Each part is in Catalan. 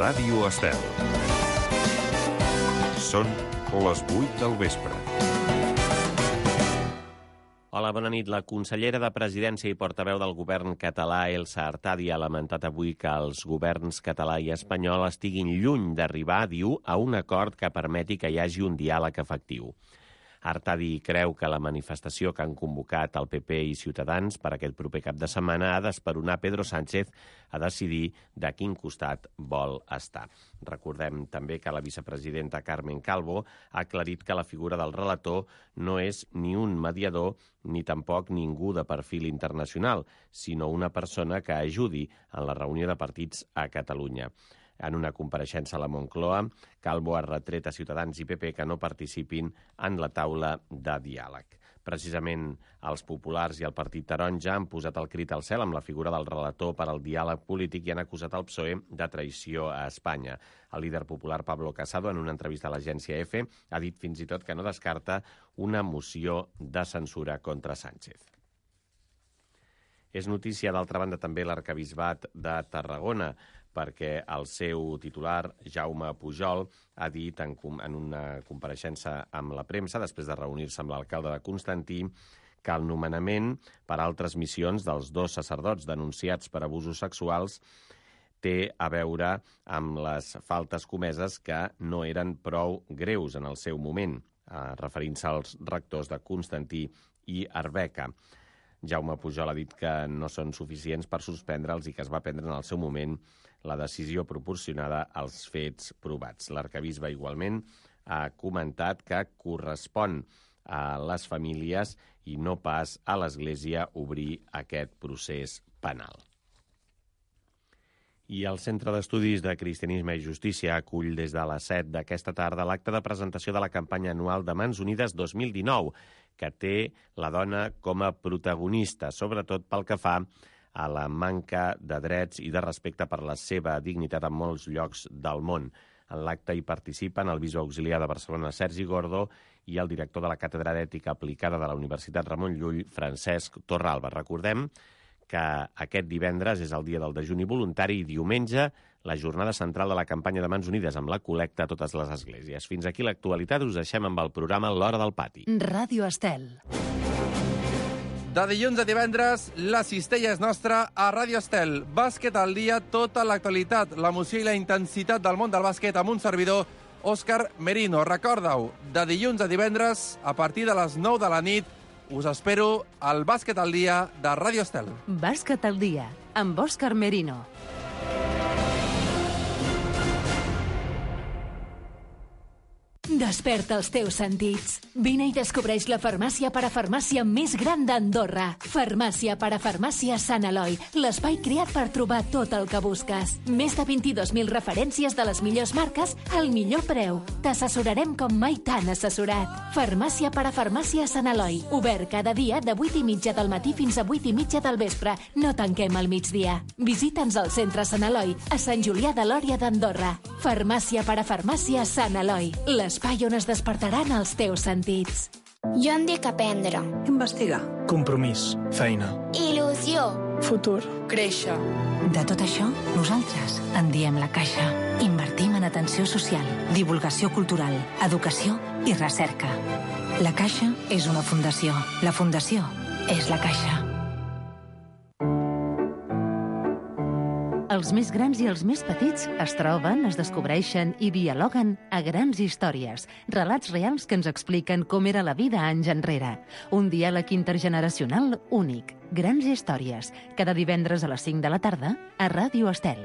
Ràdio Estel. Són les 8 del vespre. Hola, bona nit. La consellera de Presidència i portaveu del govern català, Elsa Artadi, ha lamentat avui que els governs català i espanyol estiguin lluny d'arribar, diu, a un acord que permeti que hi hagi un diàleg efectiu. Artadi creu que la manifestació que han convocat el PP i Ciutadans per aquest proper cap de setmana ha d'esperonar Pedro Sánchez a decidir de quin costat vol estar. Recordem també que la vicepresidenta Carmen Calvo ha aclarit que la figura del relator no és ni un mediador ni tampoc ningú de perfil internacional, sinó una persona que ajudi en la reunió de partits a Catalunya. En una compareixença a la Moncloa, Calvo ha retret a Ciutadans i PP que no participin en la taula de diàleg. Precisament els populars i el Partit Taronja han posat el crit al cel amb la figura del relator per al diàleg polític i han acusat el PSOE de traïció a Espanya. El líder popular Pablo Casado, en una entrevista a l'agència EFE, ha dit fins i tot que no descarta una moció de censura contra Sánchez. És notícia, d'altra banda, també l'arquebisbat de Tarragona, perquè el seu titular, Jaume Pujol, ha dit en una compareixença amb la premsa, després de reunir-se amb l'alcalde de Constantí, que el nomenament per altres missions dels dos sacerdots denunciats per abusos sexuals té a veure amb les faltes comeses que no eren prou greus en el seu moment, referint-se als rectors de Constantí i Arbeca. Jaume Pujol ha dit que no són suficients per suspendre'ls i que es va prendre en el seu moment la decisió proporcionada als fets provats. L'arquebisbe igualment ha comentat que correspon a les famílies i no pas a l'Església obrir aquest procés penal. I el Centre d'Estudis de Cristianisme i Justícia acull des de les 7 d'aquesta tarda l'acte de presentació de la campanya anual de Mans Unides 2019, que té la dona com a protagonista, sobretot pel que fa a la manca de drets i de respecte per la seva dignitat en molts llocs del món. En l'acte hi participen el bisbe auxiliar de Barcelona, Sergi Gordo, i el director de la Càtedra d'Ètica Aplicada de la Universitat Ramon Llull, Francesc Torralba. Recordem que aquest divendres és el dia del dejuni voluntari i diumenge la jornada central de la campanya de Mans Unides amb la col·lecta a totes les esglésies. Fins aquí l'actualitat, us deixem amb el programa L'Hora del Pati. Ràdio Estel. De dilluns a divendres, la cistella és nostra a Ràdio Estel. Bàsquet al dia, tota l'actualitat, l'emoció i la intensitat del món del bàsquet amb un servidor, Òscar Merino. Recorda-ho, de dilluns a divendres, a partir de les 9 de la nit, us espero al Bàsquet al dia de Ràdio Estel. Bàsquet al dia, amb Òscar Merino. Desperta els teus sentits. Vine i descobreix la farmàcia parafarmàcia més gran d'Andorra. Farmàcia parafarmàcia Sant Eloi, l'espai creat per trobar tot el que busques. Més de 22.000 referències de les millors marques al millor preu. T'assessorarem com mai t'han assessorat. Farmàcia parafarmàcia Sant Eloi, obert cada dia de 8:30 del matí fins a 8:30 del vespre. No tanquem al migdia. Visita'ns al centre Sant Eloi, a Sant Julià de Lòria d'Andorra. Farmàcia parafarmàcia Sant Eloi, l'espai on es despertaran els teus sentits. Jo em dic aprendre. Investigar. Compromís. Feina. Il·lusió. Futur. Créixer. De tot això, nosaltres en diem La Caixa. Invertim en atenció social, divulgació cultural, educació i recerca. La Caixa és una fundació. La fundació és La Caixa. Els més grans i els més petits es troben, es descobreixen i dialoguen a Grans Històries, relats reals que ens expliquen com era la vida anys enrere. Un diàleg intergeneracional únic. Grans Històries, cada divendres a les 5 de la tarda a Ràdio Estel.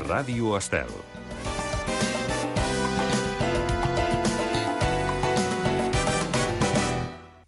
Ràdio Estel.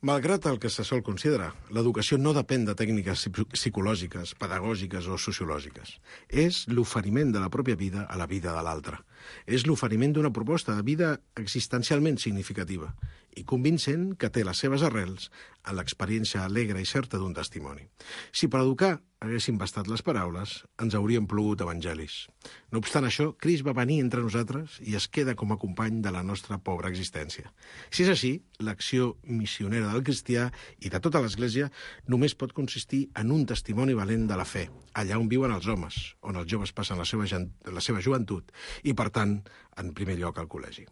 Malgrat el que se sol considerar, l'educació no depèn de tècniques psicològiques, pedagògiques o sociològiques. És l'oferiment de la pròpia vida a la vida de l'altre. És l'oferiment d'una proposta de vida existencialment significativa i convincent que té les seves arrels en l'experiència alegre i certa d'un testimoni. Si per educar haguessin bastat les paraules, ens haurien plogut evangelis. No obstant això, Crist va venir entre nosaltres i es queda com a company de la nostra pobra existència. Si és així, l'acció missionera del cristià i de tota l'Església només pot consistir en un testimoni valent de la fe, allà on viuen els homes, on els joves passen la seva joventut i, per tant, en primer lloc al col·legi.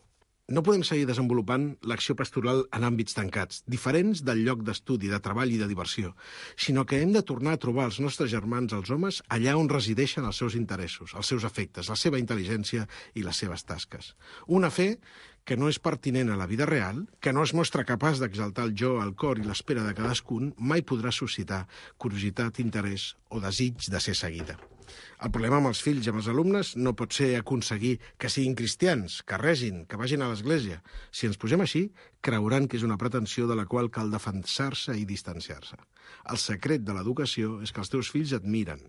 No podem seguir desenvolupant l'acció pastoral en àmbits tancats, diferents del lloc d'estudi, de treball i de diversió, sinó que hem de tornar a trobar els nostres germans, els homes, allà on resideixen els seus interessos, els seus afectes, la seva intel·ligència i les seves tasques. Una fe que no és pertinent a la vida real, que no es mostra capaç d'exaltar el jo, el cor i l'espera de cadascun, mai podrà suscitar curiositat, interès o desig de ser seguida. El problema amb els fills i amb els alumnes no pot ser aconseguir que siguin cristians, que regin, que vagin a l'església. Si ens posem així, creuran que és una pretensió de la qual cal defensar-se i distanciar-se. El secret de l'educació és que els teus fills et miren.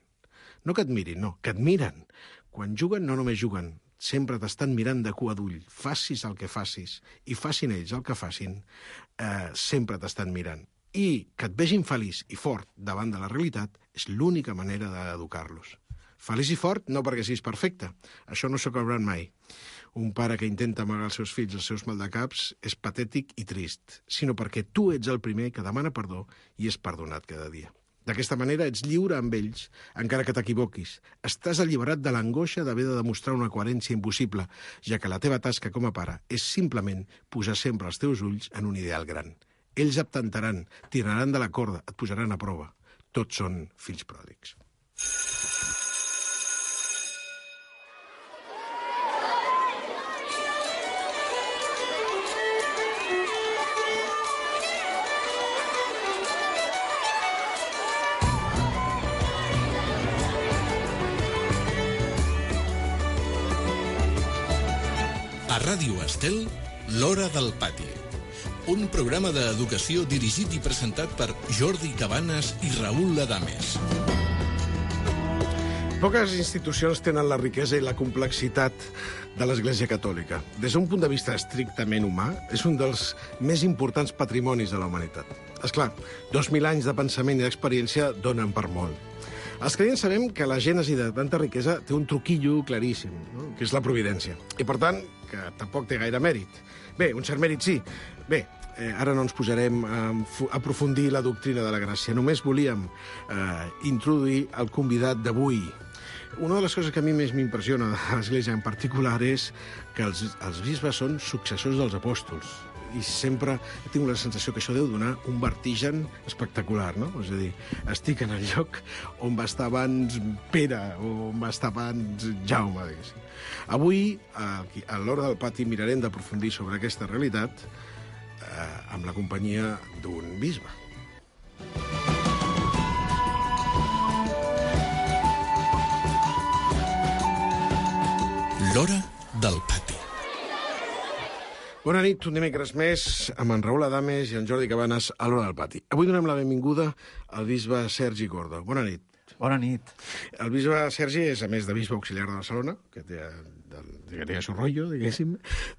No que et mirin, no, que et miren. Quan juguen, no només juguen, sempre t'estan mirant de cua d'ull. Facis el que facis i facin ells el que facin, sempre t'estan mirant. I que et vegin feliç i fort davant de la realitat és l'única manera d'educar-los. Feliç i fort no perquè siguis perfecte. Això no s'acabarà mai. Un pare que intenta amagar als seus fills els seus maldecaps és patètic i trist, sinó perquè tu ets el primer que demana perdó i és perdonat cada dia. D'aquesta manera ets lliure amb ells, encara que t'equivoquis. Estàs alliberat de l'angoixa d'haver de demostrar una coherència impossible, ja que la teva tasca com a pare és simplement posar sempre els teus ulls en un ideal gran. Ells et tentaran, tiraran de la corda, et posaran a prova. Tots són fills pròdigs. A Ràdio Estel, l'Hora del Pati. Un programa d'educació dirigit i presentat per Jordi Cabanes i Raül Adames. Poques institucions tenen la riquesa i la complexitat de l'Església Catòlica. Des d'un punt de vista estrictament humà, és un dels més importants patrimonis de la humanitat. Esclar, 2.000 anys de pensament i d'experiència donen per molt. Els creients sabem que la gènesi de tanta riquesa té un truquillo claríssim, no? Que és la providència. I, per tant, que tampoc té gaire mèrit. Bé, un cert mèrit sí. Bé, ara no ens posarem a aprofundir la doctrina de la gràcia. Només volíem introduir el convidat d'avui. Una de les coses que a mi més m'impressiona de l'Església en particular és que els bisbes són successors dels apòstols. I sempre tinc la sensació que això deu donar un vertigen espectacular, no? És a dir, estic en el lloc on va estar abans Pere o on va estar abans Jaume, diguéssim. Avui, a l'Hora del Pati, mirarem d'aprofundir sobre aquesta realitat amb la companyia d'un bisbe. L'Hora del Pati. Bona nit, un dimecres més, amb en Raül Adames i en Jordi Cabanes a l'Hora del Pati. Avui donem la benvinguda al bisbe Sergi Gordo. Bona nit. Bona nit. El bisbe Sergi és, a més de bisbe auxiliar de Barcelona, que té el seu rotllo, diguéssim,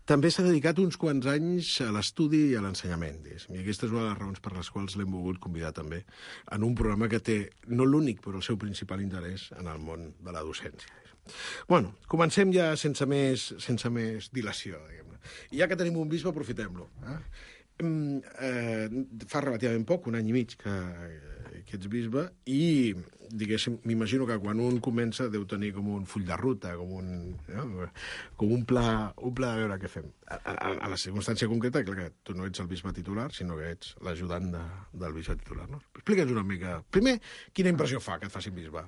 també s'ha dedicat uns quants anys a l'estudi i a l'ensenyament, diguéssim. I aquesta és una de les raons per les quals l'hem volgut convidar també en un programa que té, no l'únic, però el seu principal interès en el món de la docència. Bueno, comencem ja sense més dilació, diguem-ne. I ja que tenim un bisbe, aprofitem-lo. Fa relativament poc, un any i mig que ets bisbe, i diguéssim, m'imagino que quan un comença deu tenir com un full de ruta, com un pla de veure què fem. A la circumstància concreta, clar que tu no ets el bisbe titular, sinó que ets l'ajudant del bisbe titular, no? Explica'ns una mica. Primer, quina impressió fa que et facin bisbe?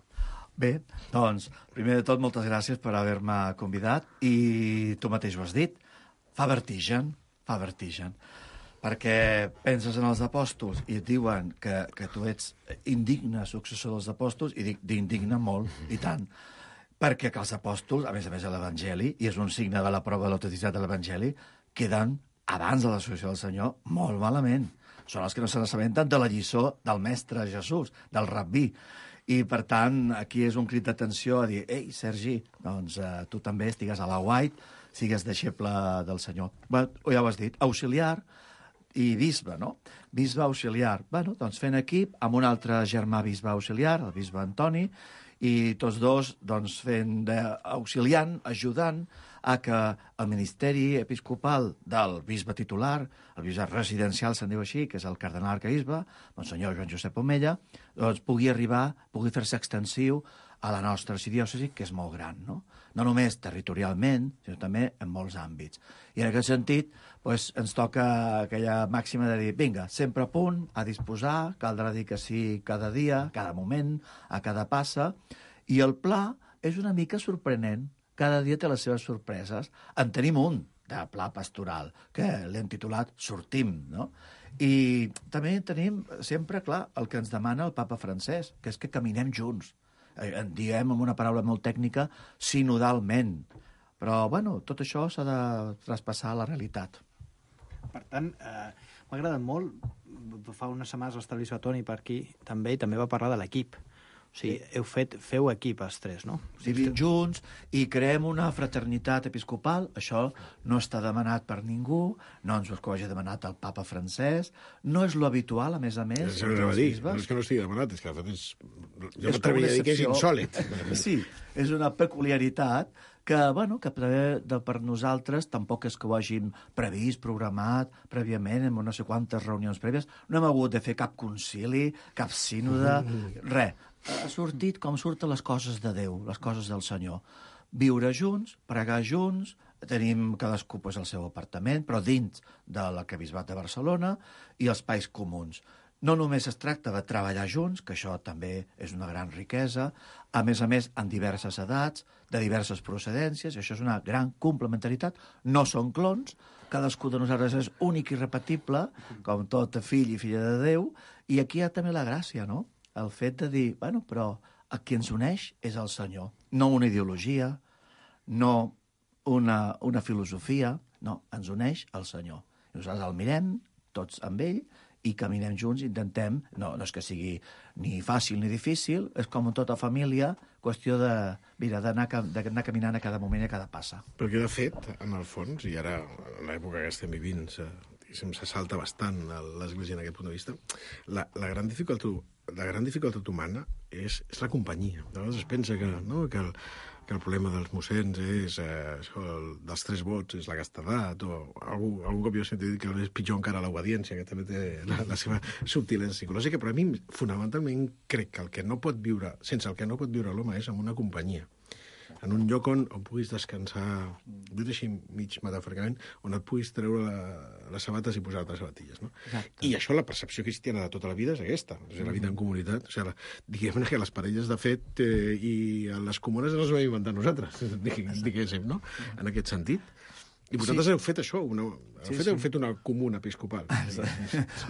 Bé, doncs, primer de tot, moltes gràcies per haver-me convidat i tu mateix ho has dit, fa vertigen, perquè penses en els apòstols i et diuen que tu ets indigne successor dels apòstols, i dic d'indigne molt, i tant, perquè que els apòstols, a més a l'Evangeli, i és un signe de la prova de l'autenticitat de l'Evangeli, queden, abans de l'associació del Senyor, molt malament. Són els que no se n'assabenten de la lliçó del mestre Jesús, del rabí. I, per tant, aquí és un crit d'atenció a dir, ei, Sergi, doncs tu també estigues a la White, sigues deixeble del senyor. Bé, ja ho has dit, auxiliar i bisbe, no? Bisbe auxiliar. Bueno, doncs fent equip amb un altre germà bisbe auxiliar, el bisbe Antoni, i tots dos doncs, fent d'auxiliant, ajudant a que el ministeri episcopal del bisbe titular, el bisbe residencial se'n diu així, que és el cardenal arquebisbe, Monsenyor Joan Josep Omella, doncs pugui fer-se extensiu a la nostra arxidiòcesi, que és molt gran, no? No només territorialment, sinó també en molts àmbits. I en aquest sentit, doncs, ens toca aquella màxima de dir, vinga, sempre a punt, a disposar, caldrà dir que sí cada dia, cada moment, a cada passa, i el pla és una mica sorprenent. Cada dia té les seves sorpreses. En tenim un de pla pastoral, que l'hem titulat Sortim, no? I també tenim sempre, clar, el que ens demana el papa francès, que és que caminem junts. En diem, amb una paraula molt tècnica, sinodalment. Però, bueno, tot això s'ha de traspassar a la realitat. Per tant, m'ha agradat molt, fa unes setmanes l'Establissió Toni per aquí, també, i també va parlar de l'equip. O sigui, feu equip els tres, no? Vivim junts i creem una fraternitat episcopal. Això no està demanat per ningú, no ens ho hagi demanat el papa francès, no és lo habitual, a més. Això no dir, no és que no estigui demanat, és que de fet jo m'atreviria a dir que és insòlit. Sí, és una peculiaritat que, bueno, que per nosaltres tampoc és que ho hàgim previst, programat prèviament, en no sé quantes reunions prèvies. No hem hagut de fer cap concili, cap sínode, res. Ha sortit com surten les coses de Déu, les coses del Senyor. Viure junts, pregar junts, tenim cadascú el seu apartament, però dins de l'arquebisbat de Barcelona, i els espais comuns. No només es tracta de treballar junts, que això també és una gran riquesa, a més, en diverses edats, de diverses procedències, i això és una gran complementaritat. No són clons, cadascú de nosaltres és únic i repetible, com tot fill i filla de Déu, i aquí hi ha també la gràcia, no? El fet de dir, bueno, però el que ens uneix és el Senyor. No una ideologia, no una filosofia, no, ens uneix el Senyor. I nosaltres el mirem, tots amb ell, i caminem junts, intentem, no és que sigui ni fàcil ni difícil, és com en tota família, qüestió d'anar caminant a cada moment i a cada passa. Perquè, de fet, en el fons, i ara, en l'època que estem vivint, se salta bastant l'Església en aquest punt de vista, la gran dificultat humana és la companyia. De vegades es pensa que el problema dels mossens és dels 3 vots, és la castedat, o algun cop jo he sentit que és pitjor encara l'obediència, que també té la seva subtilesa psicològica, però a mi, fonamentalment, crec que sense el que no pot viure l'home és en una companyia. En un lloc on puguis descansar, dit així mig metafòricament, on et puguis treure les sabates i posar-te les sabatilles. No? I això, la percepció cristiana de tota la vida és aquesta, la vida en comunitat. O sigui, diguem que les parelles, de fet, i les comunes les vam inventar nosaltres, diguéssim, no? En aquest sentit. I vosaltres heu fet això, heu fet una comuna episcopal.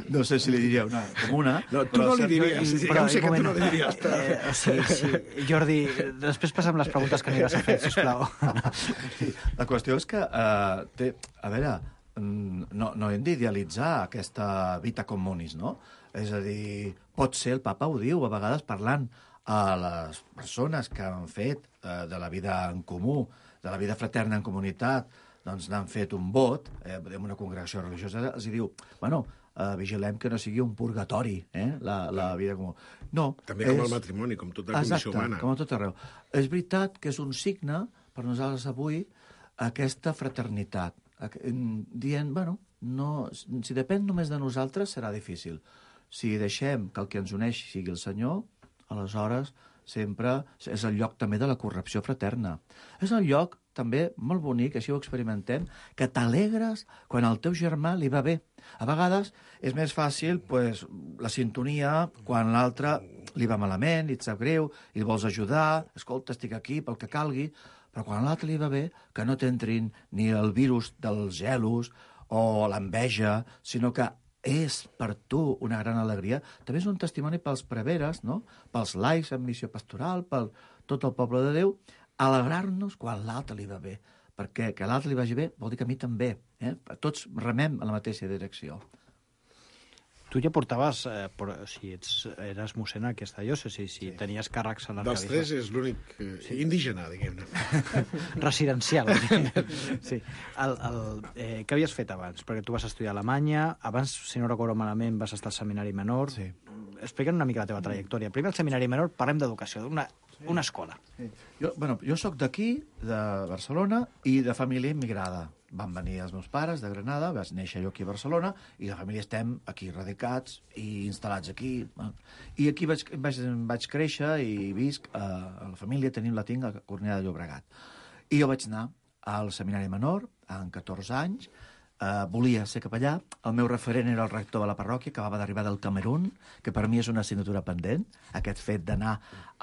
No sé si li diria una comuna... No, tu no li diries, ja sé que tu no li diries. Sí. Jordi, després passem les preguntes que aniràs a fer, sisplau. La qüestió és que, a veure, no hem d'idealitzar aquesta vita communis, no? És a dir, pot ser, el papa ho diu, a vegades parlant a les persones que han fet de la vida en comú, de la vida fraterna en comunitat, doncs n'han fet un vot, en una congregació religiosa, els diu, bueno, vigilem que no sigui un purgatori, la vida comú. No. També com el matrimoni, com tota la condició humana. Exacte, com a tot arreu. És veritat que és un signe, per nosaltres avui, aquesta fraternitat. Dient, bueno, si depèn només de nosaltres, serà difícil. Si deixem que el que ens uneix sigui el Senyor, aleshores sempre és el lloc també de la corrupció fraterna. És el lloc també molt bonic, així ho experimentem, que t'alegres quan al teu germà li va bé. A vegades és més fàcil la sintonia quan l'altre li va malament, li et sap greu, i el vols ajudar, escolta, estic aquí pel que calgui, però quan a l'altre li va bé, que no t'entrin ni el virus dels gelos o l'enveja, sinó que és per tu una gran alegria. També és un testimoni pels preveres, no? Pels laics en missió pastoral, per tot el poble de Déu, alegrar-nos quan l'altre li va bé. Perquè que l'altre li vagi bé vol dir que a mi també. Tots remem en la mateixa direcció. Tu ja portaves, eres mossèn en aquesta diòcesi, si tenies càrrecs a l'arquebisbe. Dels 3 és l'únic indígena, diguem-ne. Residencial. Sí. Què havies fet abans? Perquè tu vas estudiar a Alemanya, abans, si no recordo malament, vas estar al Seminari Menor. Sí. Explica'm una mica la teva trajectòria. Primer al Seminari Menor parlem d'educació, d'una escola. Sí. Jo soc d'aquí, de Barcelona, i de família immigrada. Van venir els meus pares de Granada, vaig néixer jo aquí a Barcelona, i la família estem aquí radicats i instal·lats aquí. I aquí vaig créixer i visc a la família, la tinc a Cornellà de Llobregat. I jo vaig anar al Seminari Menor, amb 14 anys, volia ser capellà. El meu referent era el rector de la parròquia, que acabava d'arribar del Camerun, que per mi és una assignatura pendent, aquest fet d'anar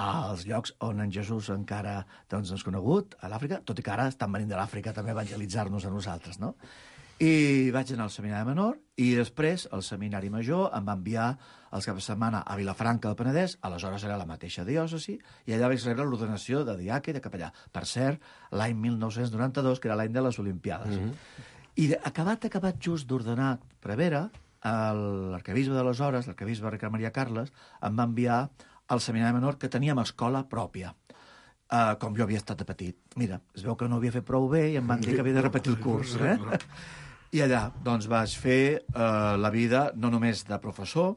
als llocs on en Jesús encara doncs, és conegut, a l'Àfrica, tot i que ara estan venint de l'Àfrica també a evangelitzar-nos a nosaltres, no? I vaig anar al Seminari Menor, i després el Seminari Major em va enviar els caps de setmana a Vilafranca del Penedès, aleshores era la mateixa diòcesi, i allà vaig rebre l'ordenació de diaca i de capellà. Per cert, l'any 1992, que era l'any de les Olimpiades. I acabat just d'ordenar prevere, l'arquebisbe d'aleshores, l'arquebisbe Ricard Maria Carles, em va enviar al Seminari Menor, que teníem escola pròpia, com jo havia estat de petit. Mira, es veu que no havia fet prou bé i em van dir que havia de repetir el curs. I allà doncs, vaig fer la vida no només de professor,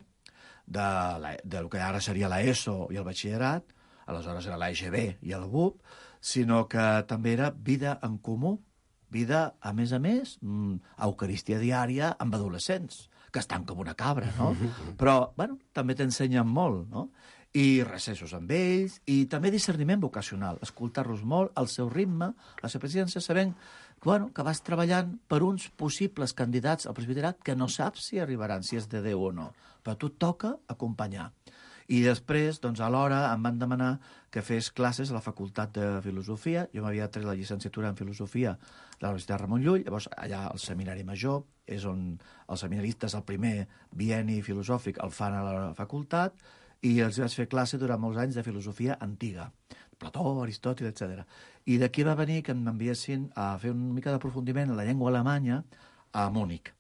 del que ara seria l'ESO i el batxillerat, aleshores era l'EGB i el BUP, sinó que també era vida en comú, vida, a més, eucaristia diària amb adolescents, que estan com una cabra, no? Però, bueno, també t'ensenyen molt, no? I recessos amb ells, i també discerniment vocacional, escoltar-los molt, al seu ritme, la seva presidència, sabent que vas treballant per uns possibles candidats al presbiterat que no saps si arribaran, si és de Déu o no, però a tu et toca acompanyar. I després, doncs, alhora em van demanar que fes classes a la Facultat de Filosofia. Jo m'havia tret la llicenciatura en Filosofia de la Universitat Ramon Llull, llavors allà al Seminari Major, és on els seminaristes el primer bienni filosòfic el fan a la facultat, i els vaig fer classe durant molts anys de filosofia antiga, Plató, Aristòtil, etc. I d'aquí va venir que m'enviessin a fer una mica d'aprofundiment en la llengua alemanya a Múnich,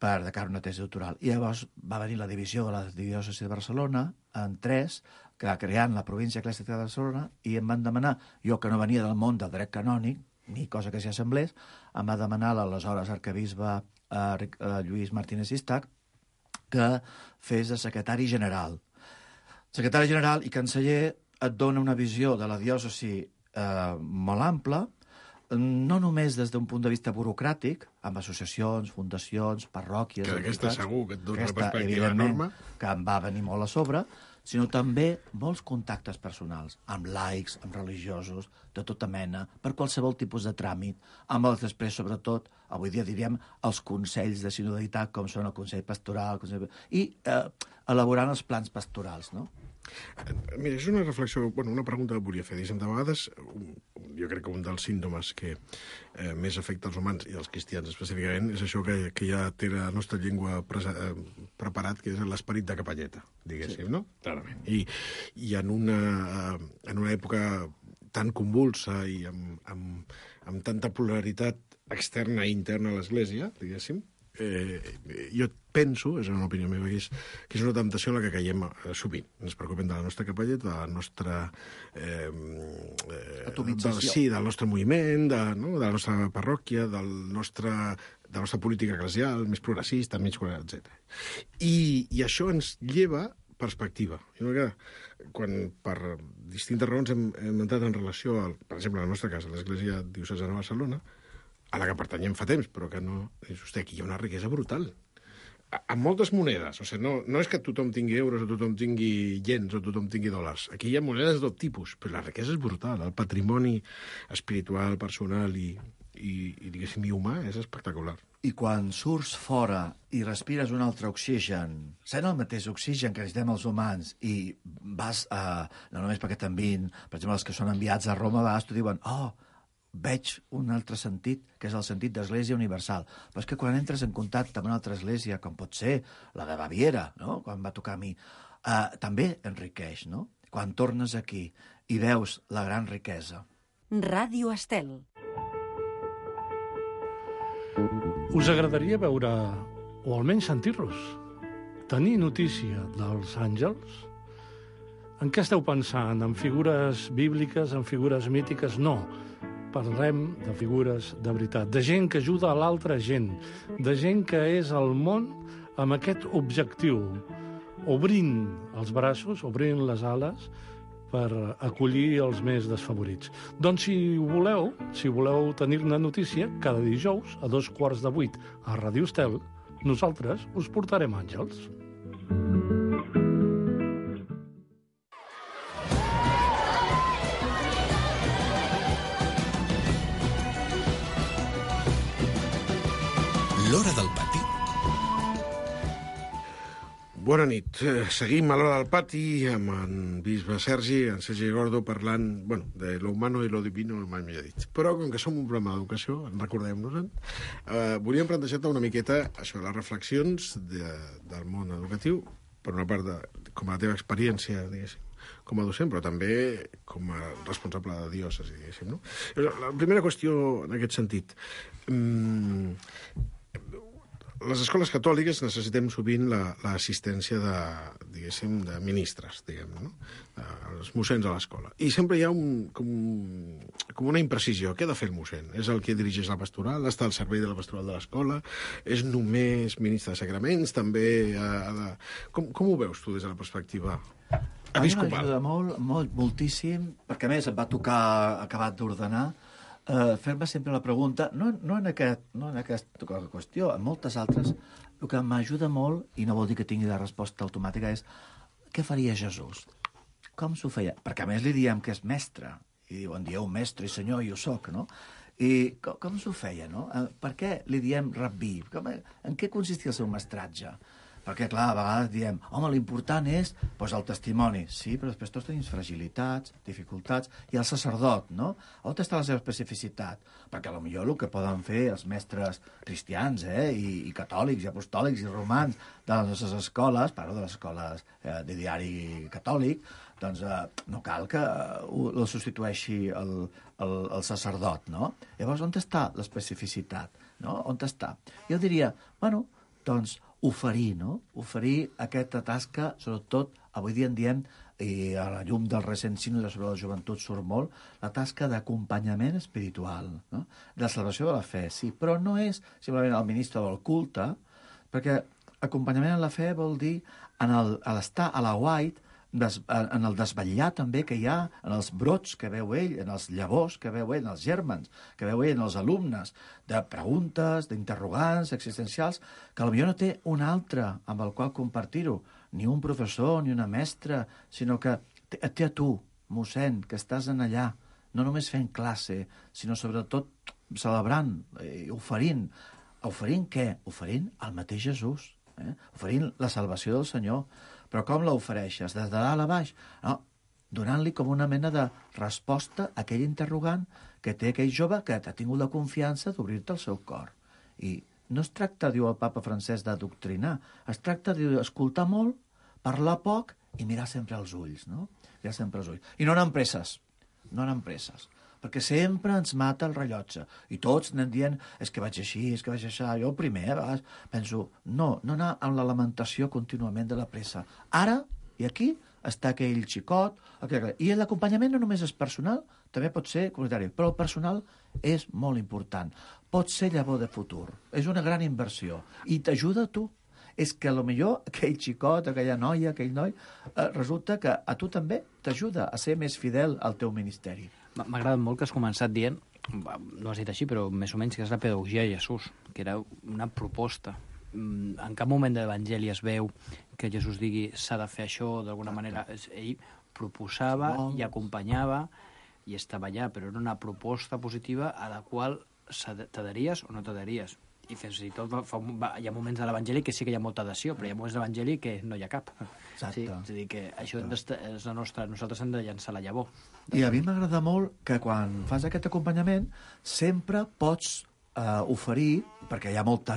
per de cara a una tesi doctoral. I llavors va venir la divisió de la diòcesi de Barcelona en 3, creant la província eclesiàstica de Barcelona, i em van demanar, jo que no venia del món del dret canònic, ni cosa que s'hi assemblés, em va demanar l'aleshores arquebisbe Lluís Martínez Istach que fes de secretari general. Secretari general i canceller et dona una visió de la diòcesi molt ampla, no només des d'un punt de vista burocràtic, amb associacions, fundacions, parròquies... Que aquesta segur que et dona una perspectiva enorme. Que em va venir molt a sobre, sinó també molts contactes personals, amb laics, amb religiosos, de tota mena, per qualsevol tipus de tràmit, amb els després, sobretot, avui dia diríem, els consells de sinodalitat, com són el Consell Pastoral, i elaborant els plans pastorals, no? Mira, és una reflexió, una pregunta que volia fer. De vegades, jo crec que un dels símptomes que més afecta els humans i els cristians específicament és això que ja té la nostra llengua preparat, que és l'esperit de capelleta, diguéssim, no? Clarament. I en una època tan convulsa i amb tanta polaritat externa i interna a l'Església, diguéssim, jo penso, és una opinió meva, que és una temptació en la que caiem sovint. Ens preocupem de la nostra capelleta, de la nostra... atomització. Del nostre moviment, de la nostra parròquia, de la nostra política eclesial, més progressista, menys etc. I això ens lleva perspectiva. Quan per distintes raons hem entrat en relació, per exemple, a la nostra casa, l'Església Diocesana de Barcelona, a la que pertanyem fa temps, però que no... aquí hi ha una riquesa brutal. Amb moltes monedes. O sigui, no és que tothom tingui euros o tothom tingui iens o tothom tingui dòlars. Aquí hi ha monedes de tot tipus, però la riquesa és brutal. El patrimoni espiritual, personal i diguéssim, i humà és espectacular. I quan surts fora i respires un altre oxigen, sent el mateix oxigen que necessitem els humans, i vas, no només perquè t'envien, per exemple, els que són enviats a Roma, t'ho diuen, veig un altre sentit, que és el sentit d'Església Universal. Però és que quan entres en contacte amb una altra església, com pot ser la de Baviera, no? Quan va tocar a mi, també enriqueix, no? Quan tornes aquí i veus la gran riquesa. Ràdio Estel. Us agradaria veure, o almenys sentir-los, tenir notícia dels àngels, en què esteu pensant? En figures bíbliques, en figures mítiques? No. Parlem de figures de veritat, de gent que ajuda a l'altra gent, de gent que és al món amb aquest objectiu, obrint els braços, obrint les ales, per acollir els més desfavorits. Doncs si voleu tenir-ne notícia, cada dijous a 7:15 a Ràdio Estel, nosaltres us portarem àngels. L'Hora del Pati. Bona nit. Seguim a l'Hora del Pati amb en bisbe Sergi, en Sergi Gordo, parlant, de lo humano i lo divino, mai millor dit. Però, com que som un programa d'educació, recordem-nos-en, volíem plantejar-te una miqueta això, les reflexions del món educatiu, per una part, com a la teva experiència, diguéssim, com a docent, però també com a responsable de diòcesi, diguéssim, no? La primera qüestió en aquest sentit. Les escoles catòliques necessitem sovint l'assistència de ministres, no? Els mossens a l'escola. I sempre hi ha com una imprecisió. Què ha de fer el mossèn? És el que dirigeix la pastoral? Està al servei de la pastoral de l'escola? És només ministre de sacraments? També ha de... Com ho veus tu des de la perspectiva episcopal? A mi m'ajuda moltíssim, perquè a més em va tocar acabat d'ordenar, fer-me sempre la pregunta, no en aquesta qüestió, en moltes altres, el que m'ajuda molt, i no vol dir que tingui la resposta automàtica, és què faria Jesús? Com s'ho feia? Perquè a més li diem que és mestre, i en dieu mestre i senyor, i ho soc, no? I com s'ho feia, no? Per què li diem rabí? En què consistia el seu mestratge? Perquè, clar, a vegades diem, home, l'important és el testimoni. Sí, però després tots tenim fragilitats, dificultats, i el sacerdot, no? On està la seva especificitat? Perquè potser el que poden fer els mestres cristians, i catòlics, i apostòlics, i romans de les nostres escoles, parlo de les escoles de diari catòlic, doncs no cal que el substitueixi el sacerdot, no? Llavors, on està l'especificitat? No? On està? Jo diria, doncs, oferir, no? Oferir aquesta tasca, sobretot, avui dia en diem, i a la llum del recent sínode sobre la joventut surt molt, la tasca d'acompanyament espiritual, no? De la salvació de la fe, sí, però no és simplement el ministre del culte, perquè acompanyament en la fe vol dir en l'estar a la white, en el desvetllar també que hi ha en els brots que veu ell, en els llavors que veu ell, en els gèrmens que veu ell, en els alumnes, de preguntes, d'interrogants existencials, que potser no té un altre amb el qual compartir-ho, ni un professor, ni una mestra, sinó que et té a tu, mossèn, que estàs en allà, no només fent classe, sinó sobretot celebrant, oferint. Oferint què? Oferint el mateix Jesús, oferint la salvació del Senyor. Però com l'ofereixes? Des de dalt a baix? No, donant-li com una mena de resposta a aquell interrogant que té aquell jove que ha tingut la confiança d'obrir-te el seu cor. I no es tracta, diu el papa Francesc, d'adoctrinar. Es tracta d'escoltar molt, parlar poc i mirar sempre als ulls, no? Mirar sempre als ulls. I no anar amb presses. No anar amb presses. Perquè sempre ens mata el rellotge. I tots anem dient, és que vaig així, és que vaig així. Jo primer, a vegades, penso, no anar amb la lamentació contínuament de la pressa. Ara, i aquí, està aquell xicot, i l'acompanyament no només és personal, també pot ser comunitari, però el personal és molt important. Pot ser llavor de futur. És una gran inversió. I t'ajuda a tu. És que potser aquell xicot, aquella noia, aquell noi, resulta que a tu també t'ajuda a ser més fidel al teu ministeri. M'ha agradat molt que has començat dient, no has dit així, però més o menys que és la pedagogia de Jesús, que era una proposta. En cap moment de l'Evangeli es veu que Jesús digui s'ha de fer això d'alguna manera. Ell proposava i acompanyava i estava allà, però era una proposta positiva a la qual t'adheries o no t'adheries. I fins i tot hi ha moments de l'Evangeli que sí que hi ha molta adhesió, però hi ha moments de l'Evangeli que no hi ha cap. Exacte. Sí, és a dir, que això és la nostra... Nosaltres hem de llançar la llavor. I a mi m'agrada molt que quan fas aquest acompanyament sempre pots oferir, perquè hi ha molta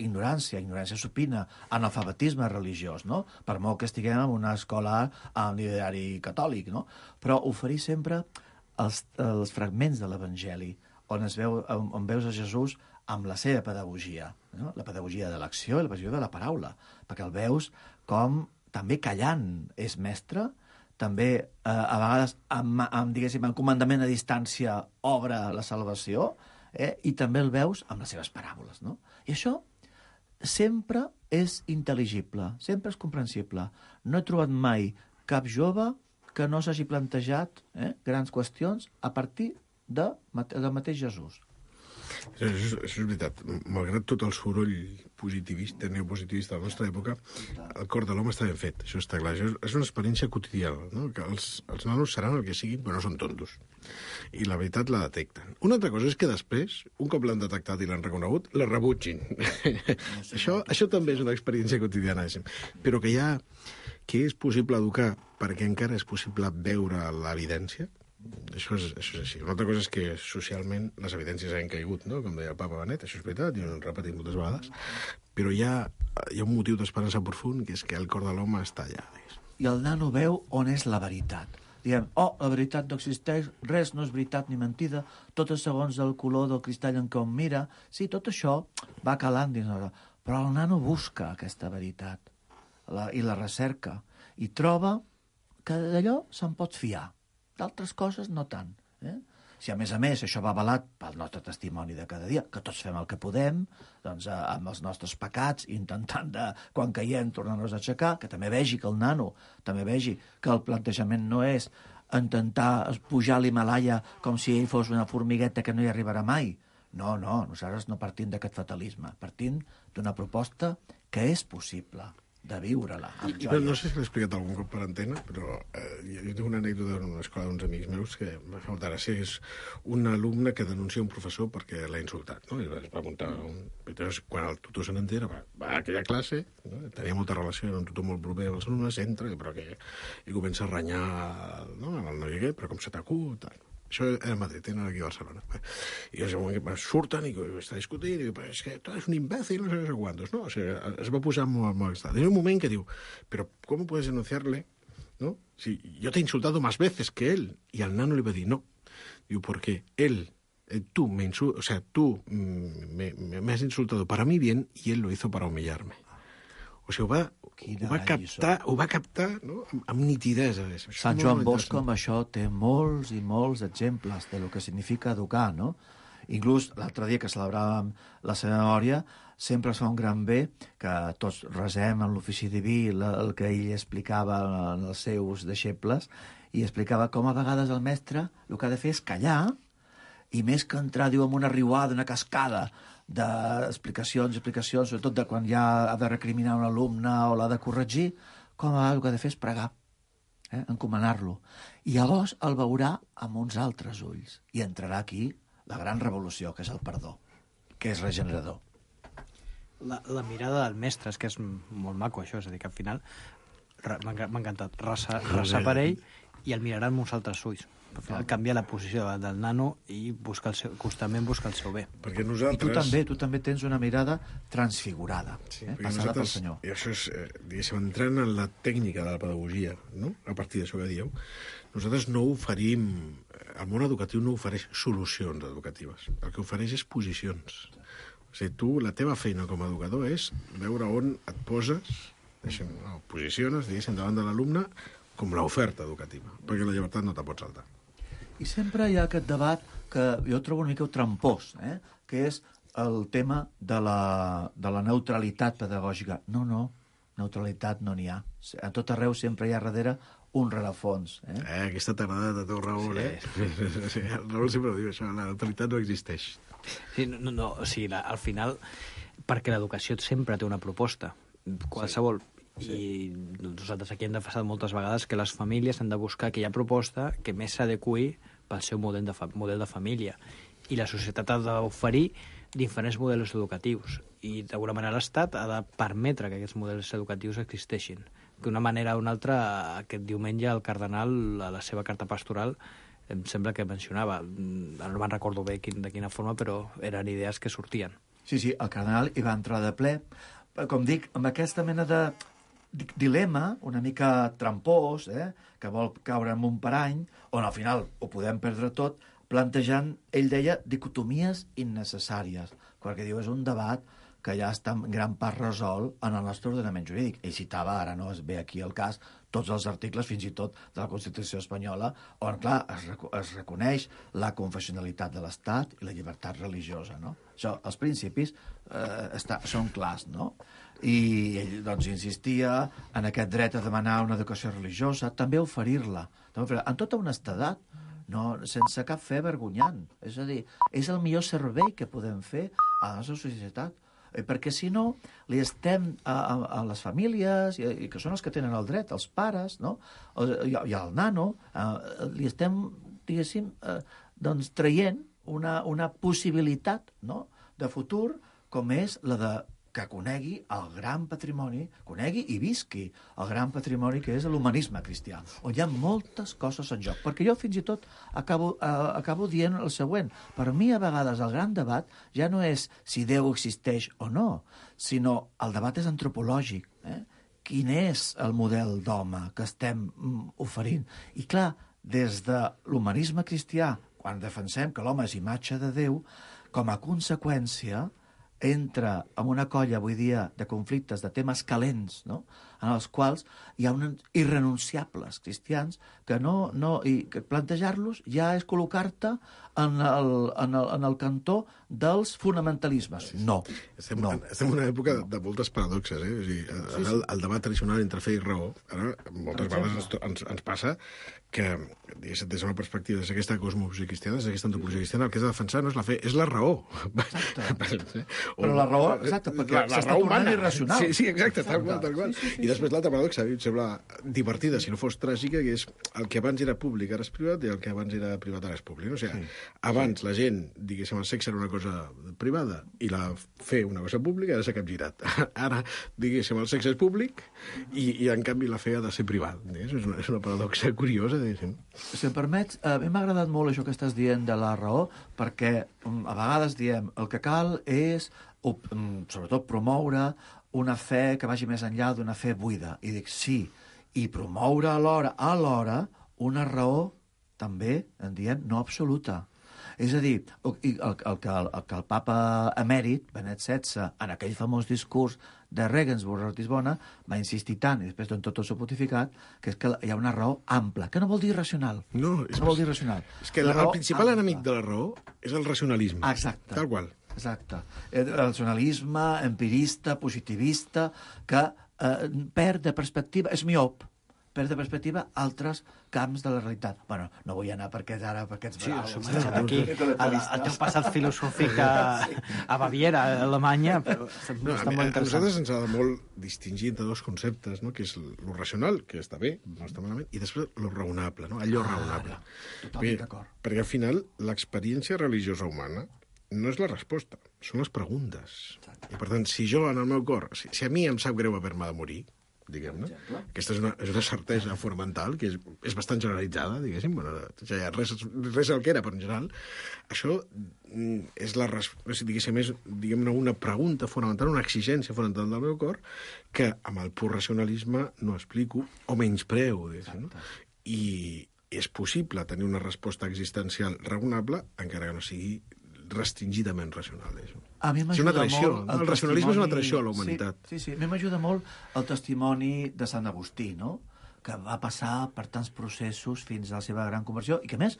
ignorància supina, analfabetisme religiós, no? Per molt que estiguem en una escola amb l'ideari catòlic, no? Però oferir sempre els fragments de l'Evangeli, on veus a Jesús amb la seva pedagogia, no? La pedagogia de l'acció i la pedagogia de la paraula, perquè el veus com també callant és mestre, també a vegades amb comandament a distància obre la salvació, i també el veus amb les seves paràboles, no? I això sempre és intel·ligible, sempre és comprensible. No he trobat mai cap jove que no s'hagi plantejat grans qüestions a partir del mateix Jesús. Això és veritat. Malgrat tot el soroll positivista, neopositivista de la nostra època, el cor de l'home està ben fet, això està clar. Això és una experiència quotidiana, no? Que els nanos seran el que siguin, però no són tontos. I la veritat la detecten. Una altra cosa és que després, un cop l'han detectat i l'han reconegut, la rebutgin. Això també és una experiència quotidiana, però que és possible educar perquè encara és possible veure l'evidència. Això és així. Una altra cosa és que socialment les evidències han caigut, no? Com deia el papa Benet, això és veritat, i ho hem repetit moltes vegades, però hi ha un motiu d'esperança profund, que és que el cor de l'home està allà. I el nano veu on és la veritat. Diem, la veritat no existeix, res no és veritat ni mentida, tot és segons el color del cristall en què on mira. Sí, tot això va calant dins la... Però el nano busca aquesta veritat i la recerca i troba que d'allò se'n pot fiar. D'altres coses no tant. Si a més això va avalat pel nostre testimoni de cada dia, que tots fem el que podem, doncs amb els nostres pecats, intentant quan caiem tornar-nos a aixecar, que també vegi que el nano, també vegi que el plantejament no és intentar pujar a l'Himalaya com si ell fos una formigueta que no hi arribarà mai. No, nosaltres no partim d'aquest fatalisme, partim d'una proposta que és possible de viure-la amb joia. No sé si l'he explicat algun cop per antena, però jo tinc una anècdota en una escola d'uns amics meus que m'ha fet molta gràcia. És un alumne que denuncia un professor perquè l'ha insultat, no? I es va muntar quan el tutor se n'entera, va a aquella classe, no? Tenia molta relació, era un tutor molt proper als alumnes, entra i comença a renyar, no? El noi aquest, però com se t'acut, tal. Això era a Madrid, era aquí a Barcelona. I en un moment surten i està discutint, i és que tu eres un imbécil, no sé quantos, ¿no? O sigui, es va posar molt extraño. En un moment que diu, pero ¿cómo puedes denunciarle? ¿No? Si yo te he insultado más veces que él. Y al nano le va a decir, no. Digo, porque tú me has insultado para mi bien y él lo hizo para humillarme. O sigui, ho va captar, no? Amb nitidesa. Sant Joan Bosco amb això té molts i molts exemples de lo que significa educar, no? Inclús l'altre dia que celebràvem la seva memòria, sempre es fa un gran bé que tots resem en l'ofici diví el que ell explicava als seus deixebles, i explicava com a vegades el mestre el que ha de fer és callar, i més que entrar, diu, en una riuada, una cascada d'explicacions, sobretot de quan ja ha de recriminar un alumne o l'ha de corregir, com a vegades el que ha de fer és pregar, encomanar-lo. I llavors el veurà amb uns altres ulls, i entrarà aquí la gran revolució, que és el perdó, que és regenerador. La mirada del mestre, és que és molt maco això, és a dir, que al final m'ha encantat resar per ell i el mirarà amb uns altres ulls. Al final canvia la posició del nano i constantment busca el seu bé. Perquè nosaltres... I tu també tens una mirada transfigurada, passada pel Senyor. I això és, diguéssim, entrant en la tècnica de la pedagogia, no? A partir d'això que dieu, nosaltres no oferim... El món educatiu no ofereix solucions educatives. El que ofereix és posicions. O sigui, tu, la teva feina com a educador és veure on et poses, posiciones, diguéssim, davant de l'alumne com l'oferta educativa, perquè la llibertat no te pot saltar. I sempre hi ha aquest debat que jo trobo una mica trampós, que és el tema de la neutralitat pedagògica. No, neutralitat no n'hi ha. A tot arreu sempre hi ha darrere un rerefons. Aquesta t'agrada de teu Raül, Sí, el Raül sempre diu això, la neutralitat no existeix. Sí, o sigui, al final, perquè l'educació sempre té una proposta, qualsevol. I nosaltres aquí hem defensat moltes vegades que les famílies han de buscar aquella proposta que més s'adeqüi pel seu model de família. I la societat ha d'oferir diferents models educatius. I d'alguna manera l'Estat ha de permetre que aquests models educatius existeixin. D'una manera o una altra, aquest diumenge el cardenal, a la seva carta pastoral, em sembla que mencionava, no me'n recordo bé de quina forma, però eren idees que sortien. Sí, el cardenal hi va entrar de ple, com dic, amb aquesta mena de dilema una mica trampós, que vol caure en un parany, on al final ho podem perdre tot, plantejant, ell deia, dicotomies innecessàries. perquè diu és un debat que ja està en gran part resolt en el nostre ordenament jurídic. Ell citava, ara no es ve aquí el cas, tots els articles, fins i tot de la Constitució espanyola, on, clar, es reconeix la confessionalitat de l'Estat i la llibertat religiosa, no? Això, els principis són clars, no? I ell, doncs, insistia en aquest dret a demanar una educació religiosa, també oferir-la, en tota honestedat, no, sense cap fe vergonyant. És a dir, és el millor servei que podem fer a la nostra societat, perquè si no, li estem a les famílies, i que són els que tenen el dret, els pares, no? I al nano, li estem, diguéssim, doncs, traient una possibilitat, no?, de futur, com és la de que conegui el gran patrimoni, conegui i visqui el gran patrimoni que és l'humanisme cristià, on hi ha moltes coses en joc. Perquè jo fins i tot acabo dient el següent. Per mi, a vegades, el gran debat ja no és si Déu existeix o no, sinó el debat és antropològic. Quin és el model d'home que estem oferint? I clar, des de l'humanisme cristià, quan defensem que l'home és imatge de Déu, com a conseqüència entra en una colla, avui dia, de conflictes, de temes calents, no?, en els quals hi ha uns irrenunciables cristians que i que plantejar-los ja és col·locar-te en el cantó dels fonamentalismes. No. Estem en una època de moltes paradoxes, O sigui, el debat tradicional entre fe i raó, ara moltes vegades ens passa que, des d'una perspectiva, des d'aquesta cosmovisió cristiana, des d'aquesta antropologia cristiana, el que has de defensar no és la fe, és la raó. Exacte. Però la raó, exacte, perquè s'està tornant irracional. Sí, exacte, tal qual. I després l'altra paradoxa, a mi em sembla divertida, si no fos tràgica, que és el que abans era públic ara és privat i el que abans era privat ara és públic. O sigui, abans la gent, diguéssim, el sexe era una cosa privada i la fe una cosa pública, ara s'ha capgirat. Ara, diguéssim, el sexe és públic i en canvi la fe ha de ser privat. És una paradoxa curiosa. Si em permets, a mi m'ha agradat molt això que estàs dient de la raó, perquè a vegades diem el que cal és, sobretot, promoure una fe que vagi més enllà d'una fe buida. I dic, sí, i promoure alhora una raó, també, en diem, no absoluta. És a dir, el que el papa emèrit, Benet XVI, en aquell famós discurs de Regensburg a Ratisbona, va insistir tant, i després en tot el seu pontificat, que és que hi ha una raó ampla, que no vol dir racional. No vol dir racional. És que el principal enemic de la raó és el racionalisme. Exacte. Tal qual. Exacte. El racionalisme empirista, positivista, que perd de perspectiva, és miop, perd de perspectiva altres camps de la realitat. Bueno, no vull anar perquè ara, perquè ets brau. Sí, aquí, el teu passat filosòfic a Baviera, a Alemanya, està molt interessant. A nosaltres ens ha de molt distingir entre dos conceptes, no?, que és lo racional, que està bé, no està malament, i després lo raonable, no?, allò raonable. Totalment d'acord. Perquè al final l'experiència religiosa humana no és la resposta, són les preguntes. I per tant, si jo en el meu cor, si a mi em sap greu haver-me de morir, diguem-ne, aquesta és una certesa fonamental que és bastant generalitzada, diguéssim, res el que era, però en general, això és una pregunta fonamental, una exigència fonamental del meu cor, que amb el pur racionalisme no explico, o menyspreo, diguéssim, no? I és possible tenir una resposta existencial raonable, encara que no sigui restringidament racional. A mi m'ajuda molt... El racionalisme és una traïció a la humanitat. Sí. A mi m'ajuda molt el testimoni de Sant Agustí, no?, que va passar per tants processos fins a la seva gran conversió i que, a més,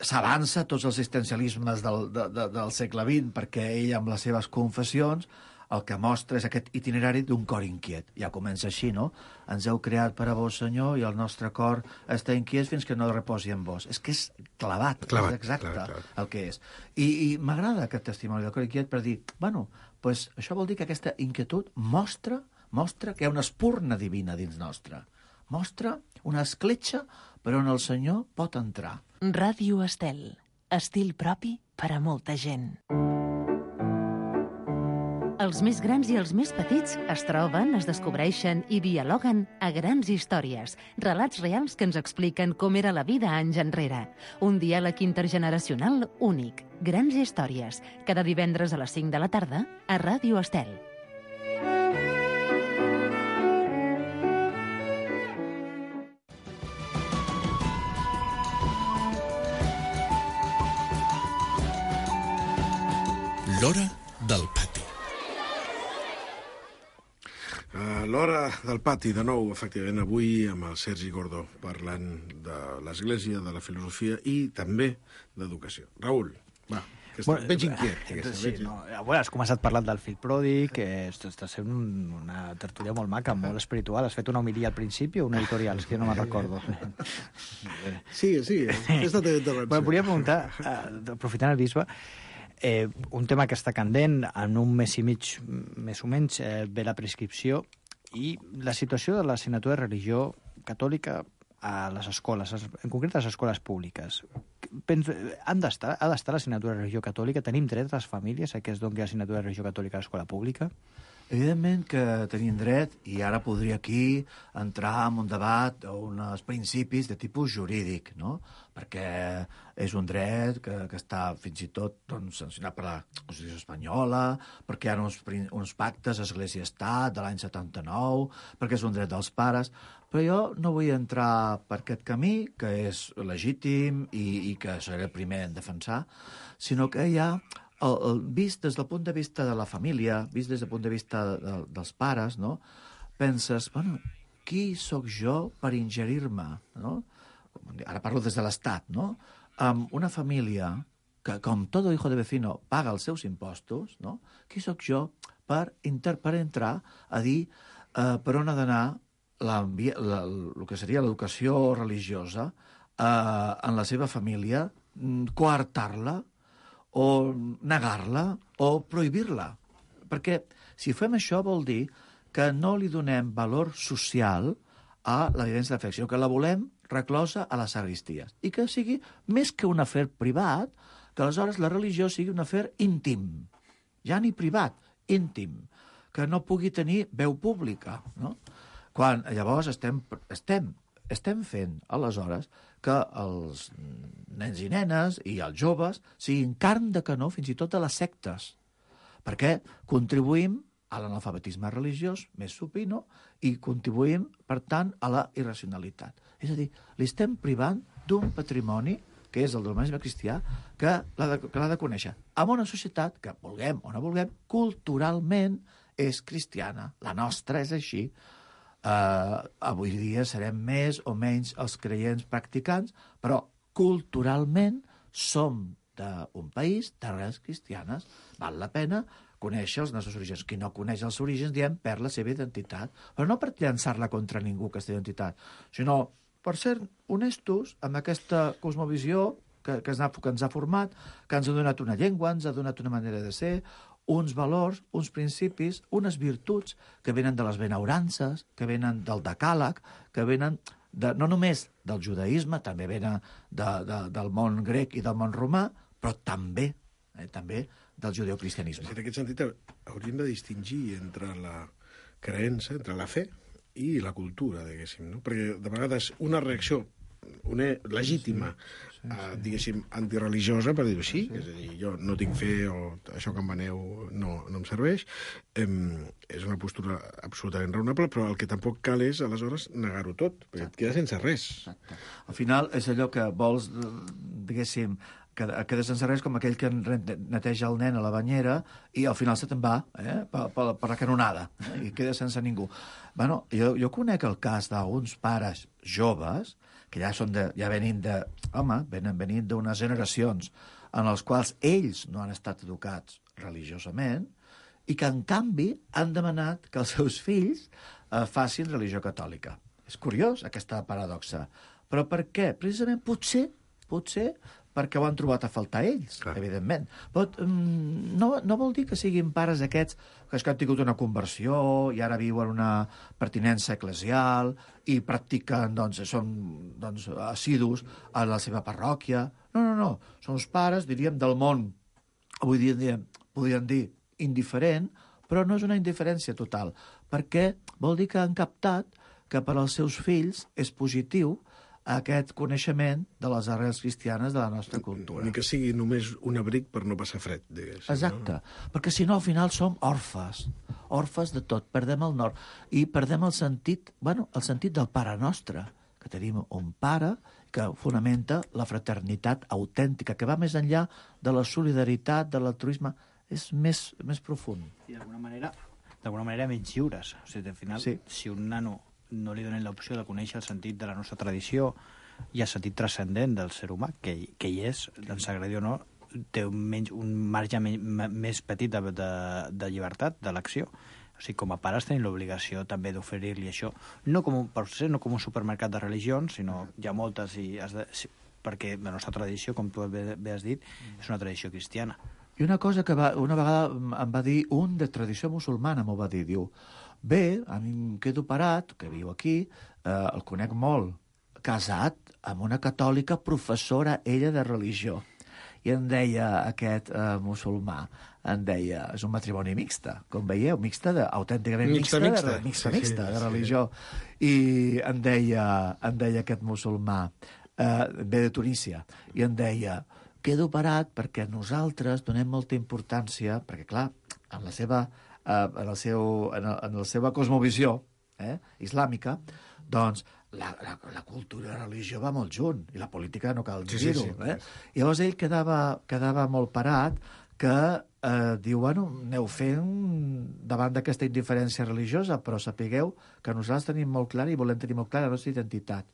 s'avança tots els existencialismes del segle XX, perquè ell, amb les seves confessions, el que mostra és aquest itinerari d'un cor inquiet. Ja comença així, no? Ens heu creat per a vos, Senyor, i el nostre cor està inquiet fins que no reposi en vos. És que és clavat, és exacte el que és. I m'agrada aquest testimoni del cor inquiet per dir, bueno, pues això vol dir que aquesta inquietud mostra que hi ha una espurna divina dins nostra. Mostra una escletxa per on el Senyor pot entrar. Ràdio Estel. Estil propi per a molta gent. Els més grans i els més petits es troben, es descobreixen i dialoguen a Grans Històries, relats reals que ens expliquen com era la vida anys enrere. Un diàleg intergeneracional únic. Grans Històries, cada divendres a les 5 de la tarda a Ràdio Estel. L'hora del pati. L'Hora del Pati, de nou, efectivament, avui amb el Sergi Gordó, parlant de l'Església, de la filosofia i també d'educació. Raül, va, que veig inquiet. Sí, no, bueno, has començat parlant del fill pròdig, que està sent una tertúlia molt maca, molt espiritual. Has fet una homilia al principi o un editorial? És que no me'n recordo. Sí, aquesta té intervenció. Bueno, volia preguntar, aprofitant el bisbe, un tema que està candent, en un mes i mig, més o menys, ve la prescripció i la situació de l'assignatura de religió catòlica a les escoles, en concret a les escoles públiques. Ha d'estar l'assignatura de religió catòlica? Tenim dret a les famílies a que es doni l'assignatura de religió catòlica a l'escola pública? Evidentment que tenim dret, i ara podria aquí entrar en un debat o uns principis de tipus jurídic, no? Perquè és un dret que està fins i tot sancionat per la Constitució espanyola, perquè hi ha uns pactes Església-Estat de l'any 79, perquè és un dret dels pares, però jo no vull entrar per aquest camí, que és legítim i que seré el primer en defensar, sinó que hi ha vist des del punt de vista de la família, vist des del punt de vista dels pares, no? Penses, bueno, qui sóc jo per ingerir-me, no? Ara parlo des de l'Estat, no? Amb una família que, com todo hijo de vecino, paga els seus impostos, no? Qui sóc jo per entrar a dir per on ha d'anar el que seria l'educació religiosa en la seva família, coartar-la, o negar-la, o prohibir-la. Perquè si fem això vol dir que no li donem valor social a la vivència de fe, sinó que la volem reclosa a les sagristies. I que sigui, més que un afer privat, que aleshores la religió sigui un afer íntim. Ja ni privat, íntim. Que no pugui tenir veu pública, no? Quan llavors estem fent, aleshores, que els nens i nenes i els joves siguin carn de canó fins i tot de les sectes, perquè contribuïm a l'analfabetisme religiós més supino i contribuïm, per tant, a la irracionalitat. És a dir, li estem privant d'un patrimoni, que és el de l'humanisme cristià, que l'ha de conèixer. En una societat que, vulguem o no vulguem, culturalment és cristiana. La nostra és així. Avui dia serem més o menys els creients practicants, però culturalment som d'un país d'arrels cristianes. Val la pena conèixer els nostres orígens. Qui no coneix els orígens, diem, perd la seva identitat. Però no per llançar-la contra ningú, aquesta identitat, sinó per ser honestos amb aquesta cosmovisió que ens ha format, que ens ha donat una llengua, ens ha donat una manera de ser, uns valors, uns principis, unes virtuts que venen de les benaurances, que venen del decàleg, que venen no només del judaïsme, també venen del món grec i del món romà, però també del judeocristianisme. En aquest sentit, hauríem de distingir entre la creença, entre la fe i la cultura, diguéssim, no? Perquè de vegades una reacció legítima, diguéssim, antireligiosa, per dir-ho així, és a dir, jo no tinc fe o això que em veneu no em serveix, és una postura absolutament raonable, però el que tampoc cal és, aleshores, negar-ho tot, perquè et queda sense res. Exacte. Al final és allò que vols, diguéssim, queda sense res, com aquell que neteja el nen a la banyera i al final se te'n va per la canonada i queda sense ningú. Bueno, jo conec el cas d'uns pares joves que ja venint d'unes generacions en les quals ells no han estat educats religiosament i que, en canvi, han demanat que els seus fills facin religió catòlica. És curiós, aquesta paradoxa. Però per què? Precisament, potser perquè ho han trobat a faltar ells, evidentment. Però no vol dir que siguin pares aquests que han tingut una conversió i ara viuen una pertinença eclesial i practiquen, són assidus a la seva parròquia. No. Són els pares, diríem, del món, avui dia podríem dir indiferent, però no és una indiferència total, perquè vol dir que han captat que per als seus fills és positiu aquest coneixement de les arrels cristianes de la nostra cultura. Ni que sigui només un abric per no passar fred, diguéssim. Exacte, perquè si no al final som orfes de tot, perdem el nord i perdem el sentit del Pare Nostre, que tenim un pare que fonamenta la fraternitat autèntica, que va més enllà de la solidaritat, de l'altruisme. és més profund. I d'alguna manera menys lliures. O sigui, al final, si un nano no li donen l'opció de conèixer el sentit de la nostra tradició i el sentit transcendent del ser humà, que hi és, ens agradi o no, té un marge més petit de llibertat, d'elecció. O sigui, com a pares tenim l'obligació també d'oferir-li això, no com un supermercat de religions, sinó hi ha moltes, perquè la nostra tradició, com tu bé has dit, és una tradició cristiana. I una cosa que una vegada em va dir un de tradició musulmana, m'ho va dir, diu, bé, a mi em quedo parat, que viu aquí, el conec molt, casat amb una catòlica professora, ella, de religió. I em deia aquest musulmà, em deia, és un matrimoni mixta, com veieu, autènticament mixta de religió. I em deia aquest musulmà, ve de Tunísia, i em deia, quedo parat perquè nosaltres donem molta importància, perquè clar, en la seva cosmovisió islàmica, doncs la cultura i la religió va molt junt, i la política no cal dir-ho. I llavors ell quedava molt parat, que diu, bueno, aneu fent davant d'aquesta indiferència religiosa, però sapigueu que nosaltres tenim molt clar i volem tenir molt clara la nostra identitat.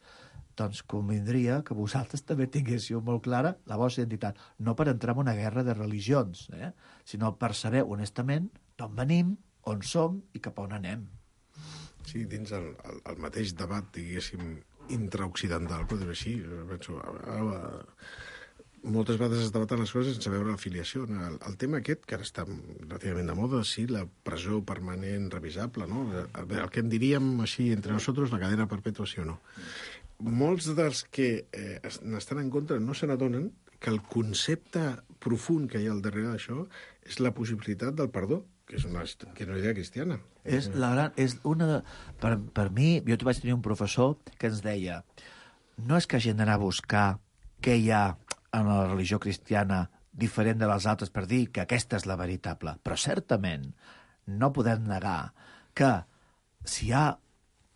Doncs convindria que vosaltres també tinguéssiu molt clara la vostra identitat, no per entrar en una guerra de religions, sinó per saber honestament d'on venim, on som i cap a on anem. Sí, dins el mateix debat, diguéssim, intraoccidental, per dir-ho així, penso, moltes vegades es debaten les coses sense veure l'afiliació. El tema aquest, que ara està relativament de moda, sí, la presó permanent revisable, no? El que en diríem així entre nosaltres, la cadena perpètua, sí o no. Molts dels que n'estan en contra no se n'adonen que el concepte profund que hi ha al darrere d'això és la possibilitat del perdó, que és una idea cristiana. Per mi, jo vaig tenir un professor que ens deia, no és que hagin d'anar a buscar què hi ha en la religió cristiana diferent de les altres per dir que aquesta és la veritable, però certament no podem negar que si hi ha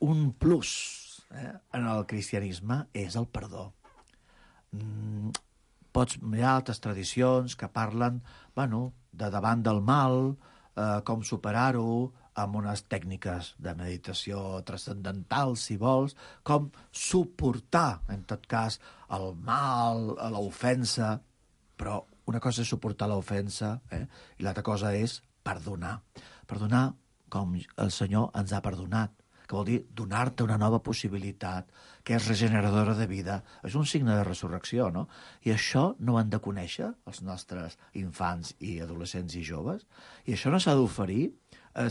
un plus en el cristianisme és el perdó. Pots mirar altres tradicions que parlen, de davant del mal, com superar-ho, amb unes tècniques de meditació transcendental, si vols, com suportar, en tot cas, el mal, l'ofensa, però una cosa és suportar l'ofensa, i l'altra cosa és perdonar. Perdonar com el Senyor ens ha perdonat, que vol dir donar-te una nova possibilitat, que és regeneradora de vida. És un signe de resurrecció, no? I això no ho han de conèixer els nostres infants i adolescents i joves, i això no s'ha d'oferir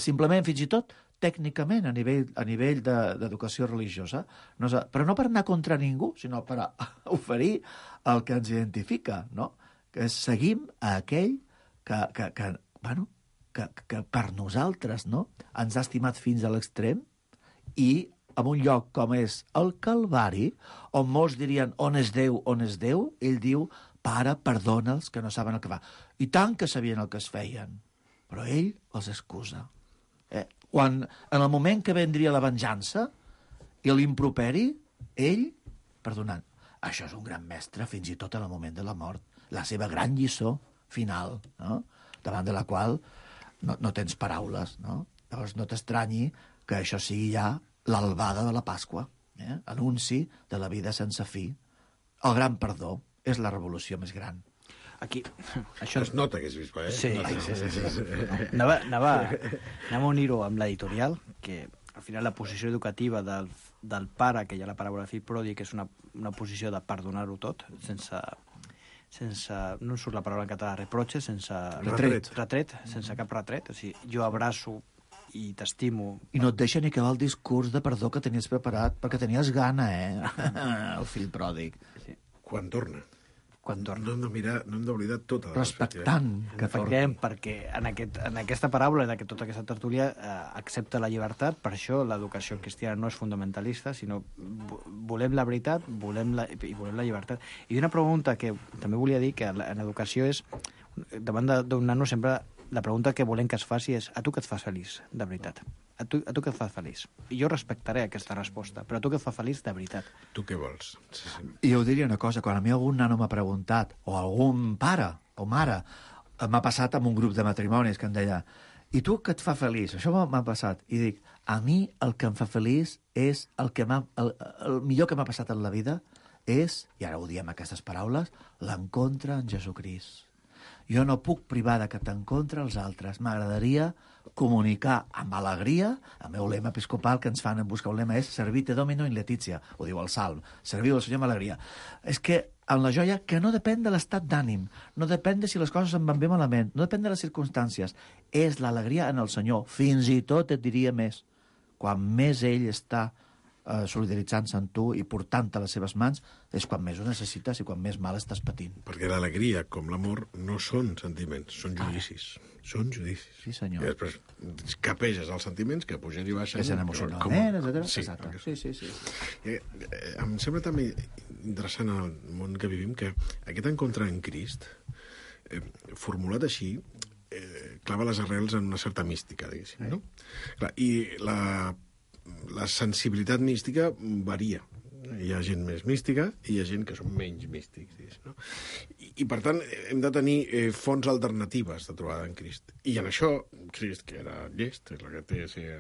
simplement, fins i tot, tècnicament, a nivell d'educació religiosa, però no per anar contra ningú, sinó per oferir el que ens identifica, no? Que seguim a aquell que per nosaltres, no?, ens ha estimat fins a l'extrem, i en un lloc com és el Calvari, on molts dirien on és Déu, ell diu, Pare, perdona'ls que no saben el que fa. I tant que sabien el que es feien, però ell els excusa. Quan, en el moment que vendria la venjança i l'improperi, ell, perdonant. Això és un gran mestre, fins i tot en el moment de la mort. La seva gran lliçó final, no?, davant de la qual no tens paraules, no? Llavors no t'estranyi que això sigui ja l'albada de la Pasqua, anunci de la vida sense fi. El gran perdó és la revolució més gran. Aquí, això es nota que és bisbe, Sí. Anava a unir-ho amb l'editorial, que al final la posició educativa del pare, que hi ha la paraula fill pròdig, que és una posició de perdonar-ho tot, sense no em surt la paraula en català, reproche, sense retret, sense cap retret. O sigui, jo abraço i t'estimo. I no et deixa ni acabar el discurs de perdó que tenies preparat, perquè tenies gana, el fill pròdig. Sí. Quan torna. No hem d'oblidar tota la respectant que torni. Perquè en aquesta paraula, en tota aquesta tertúlia, accepta la llibertat, per això l'educació cristiana no és fundamentalista, sinó volem la veritat i volem la llibertat. I una pregunta que també volia dir, que en educació és, davant d'un nano sempre la pregunta que volem que es faci és: a tu què et fa feliç, de veritat? A tu què et fa feliç? I jo respectaré aquesta resposta, però a tu què et fa feliç de veritat? Tu què vols? I jo diria una cosa, quan a mi algun nano m'ha preguntat, o algun pare o mare, m'ha passat amb un grup de matrimonis que em deia i tu què et fa feliç? Això m'ha passat. I dic, a mi el que em fa feliç és el millor que m'ha passat en la vida és, i ara ho diem aquestes paraules, l'encontre en Jesucrist. Jo no puc privar de que t'encontre els altres. M'agradaria comunicar amb alegria. El meu lema episcopal que ens fan en buscar un lema és Servite Domino in Letizia, ho diu el Salm, serviu al Senyor amb alegria. És que en la joia que no depèn de l'estat d'ànim, no depèn de si les coses em van bé malament, no depèn de les circumstàncies, és l'alegria en el Senyor. Fins i tot et diria més. Quan més ell està solidaritzant-se amb tu i portant-te a les seves mans, és quan més ho necessites i quan més mal estàs patint. Perquè l'alegria, com l'amor, no són sentiments, són judicis. Són judicis. Sí, senyor. I després capeges els sentiments que pugen i baixen. És emocionalment, etc. Sí, exacte. Sí. Em sembla també interessant en el món que vivim que aquest encontre en Crist, formulat així, clava les arrels en una certa mística, diguéssim, no? Clar, i la sensibilitat mística varia. Hi ha gent més mística i hi ha gent que són menys místics, no? I per tant, hem de tenir fonts alternatives de trobada en Crist. I en això, Crist, que era llest, és el que té ser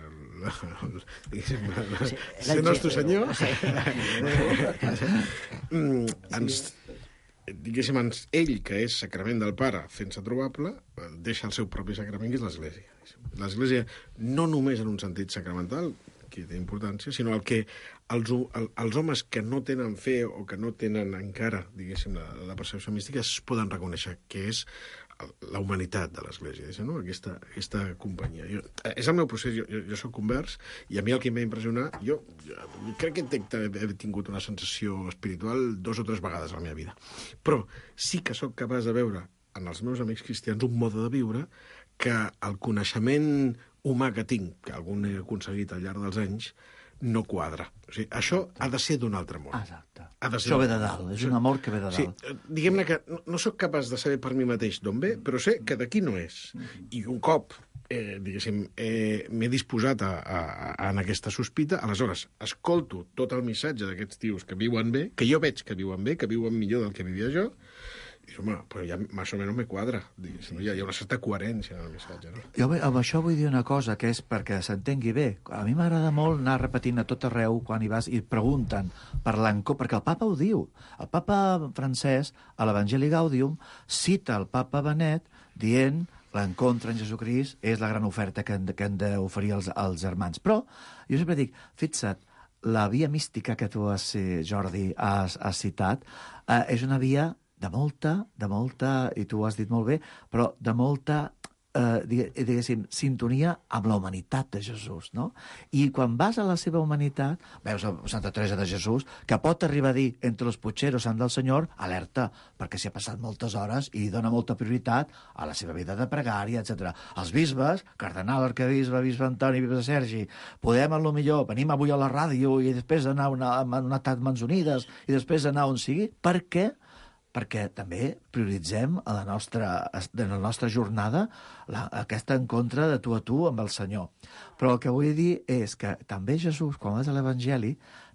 nostre senyor, ell, que és sacrament del Pare, fent-se trobable, deixa el seu propi sacrament, que és l'Església. L'Església, no només en un sentit sacramental, que té importància, sinó el que els homes que no tenen fe o que no tenen encara, diguéssim, la percepció mística, es poden reconèixer que és la humanitat de l'Església, no? Aquesta companyia. És el meu procés, jo soc convers, i a mi el que em va impressionar, jo crec que he tingut una sensació espiritual 2 o 3 vegades a la meva vida, però sí que sóc capaç de veure en els meus amics cristians un mode de viure que el coneixement humà que tinc, que algun he aconseguit al llarg dels anys, no quadra. O sigui, això ha de ser d'un altre món. Exacte. Això ve de dalt, és un amor que ve de dalt. Sí, diguem-ne que no sóc capaç de saber per mi mateix d'on ve, però sé que d'aquí no és. I un cop, diguéssim, m'he disposat en aquesta sospita, aleshores escolto tot el missatge d'aquests tios que viuen bé, que jo veig que viuen bé, que viuen millor del que vivia jo, i dius, home, però ja més o menys me quadra. Hi ha una certa coherència en el missatge, no? Jo amb això vull dir una cosa, que és perquè s'entengui bé. A mi m'agrada molt anar repetint a tot arreu quan hi vas i pregunten per l'encontre, perquè el papa ho diu. El papa francès, a l'Evangeli Gaudium, cita el papa Benet dient l'encontre en Jesucrist és la gran oferta que han d'oferir els germans. Però jo sempre dic, fixa't, la via mística que tu, Jordi, has citat, és una via de molta, i tu ho has dit molt bé, però de molta, diguéssim, sintonia amb la humanitat de Jesús, no? I quan vas a la seva humanitat, veus a Santa Teresa de Jesús, que pot arribar a dir, entre los pucheros han del Senyor, alerta, perquè s'hi ha passat moltes hores i dona molta prioritat a la seva vida de pregària, etc. Els bisbes, cardenal, arquebisbe, bisbe Antoni, bisbe Sergi, podem, a lo millor, venim avui a la ràdio i després anar a una Mans Unides i després anar on sigui, perquè també prioritzem en la nostra jornada aquest encontre de tu a tu amb el Senyor. Però el que vull dir és que també Jesús, quan vas a l'Evangeli,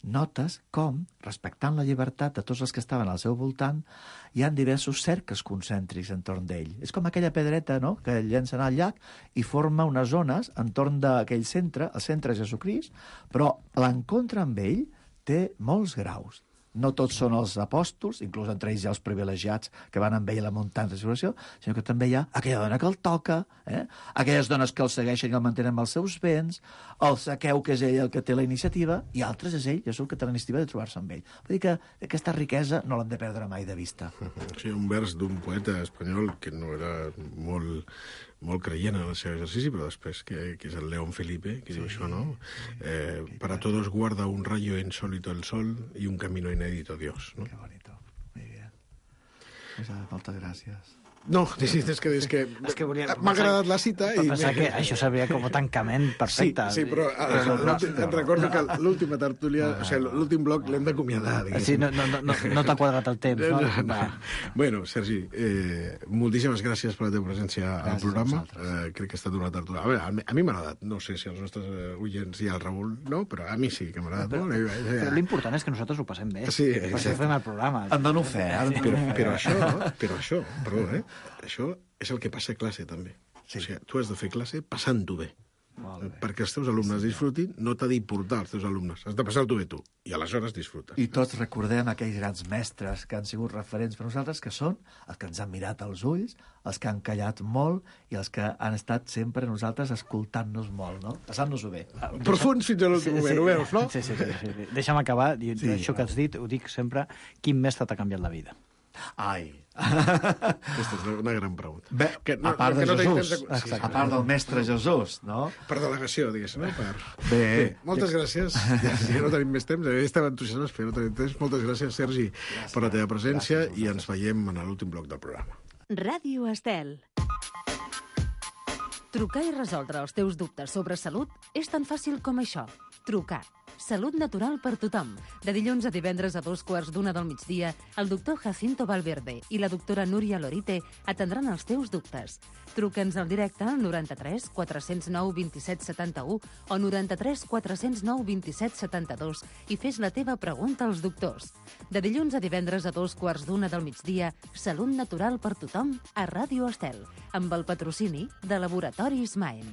notes com, respectant la llibertat de tots els que estaven al seu voltant, hi ha diversos cercles concèntrics entorn d'ell. És com aquella pedreta, no?, que llencen al llac i forma unes zones entorn d'aquell centre, el centre és Jesucrist, però l'encontre amb ell té molts graus. No tots són els apòstols, inclús entre ells hi ha els privilegiats que van amb ell a la muntanya de transfiguració, sinó que també hi ha aquella dona que el toca, aquelles dones que el segueixen i el mantenen amb els seus béns, el Zaqueu, que és ell el que té la iniciativa, i altres és ell, Jesús, que té la iniciativa de trobar-se amb ell. Vull dir que aquesta riquesa no l'hem de perdre mai de vista. Sí, un vers d'un poeta espanyol que no era molt creient en el seu exercici, però després, que és el León Felipe, que diu això, no? Para todos guarda un rayo insólito el sol y un camino inédito Dios, ¿no? Qué bonito, muy bien. Moltes gràcies. No, és que m'ha agradat la cita i... Pensar que això seria com un tancament perfecte. Sí, però et recordo que l'última tertúlia, o sigui, l'últim bloc l'hem d'acomiadar. Sí, no t'ha quadrat el temps, no? Bueno, Sergi, moltíssimes gràcies per la teva presència al programa. Crec que ha estat una tertúlia. A mi m'ha agradat. No sé si els nostres oients i el Raül no, però a mi sí que m'ha agradat molt. Però l'important és que nosaltres ho passem bé. Sí, per això fem el programa. En dono fe. Però això, perdó, Això és el que passa a classe, també. O sigui, tu has de fer classe passant-ho bé. Perquè els teus alumnes disfrutin, no t'ha d'importar els teus alumnes. Has de passar-t'ho bé tu, i aleshores disfrutes. I tots recordem aquells grans mestres que han sigut referents per nosaltres, que són els que ens han mirat als ulls, els que han callat molt i els que han estat sempre nosaltres escoltant-nos molt, no? Passant-nos-ho bé. Profuns fins a l'últim moment, ho veus, no? Sí. Deixa'm acabar. Això que has dit, ho dic sempre, quin mestre t'ha canviat la vida? Ai. Aquesta és una gran pregunta. Bé, a part de Jesús, a part del mestre Jesús, no? Per delegació, diguéssim, no? Bé. Moltes gràcies. Ja no tenim més temps, estava entusiasmats, però no tenim temps. Moltes gràcies, Sergi, per la teva presència i ens veiem en l'últim bloc del programa. Ràdio Estel. Trucar i resoldre els teus dubtes sobre salut és tan fàcil com això. Trucar. Salut natural per tothom. De dilluns a divendres a 2:15 del migdia, el doctor Jacinto Valverde i la doctora Núria Lorite atendran els teus dubtes. Truca'ns al directe al 93 409 27 71 o 93 409 27 72 i fes la teva pregunta als doctors. De dilluns a divendres a 2:15 del migdia, Salut natural per tothom a Ràdio Estel, amb el patrocini de Laboratoris Maen.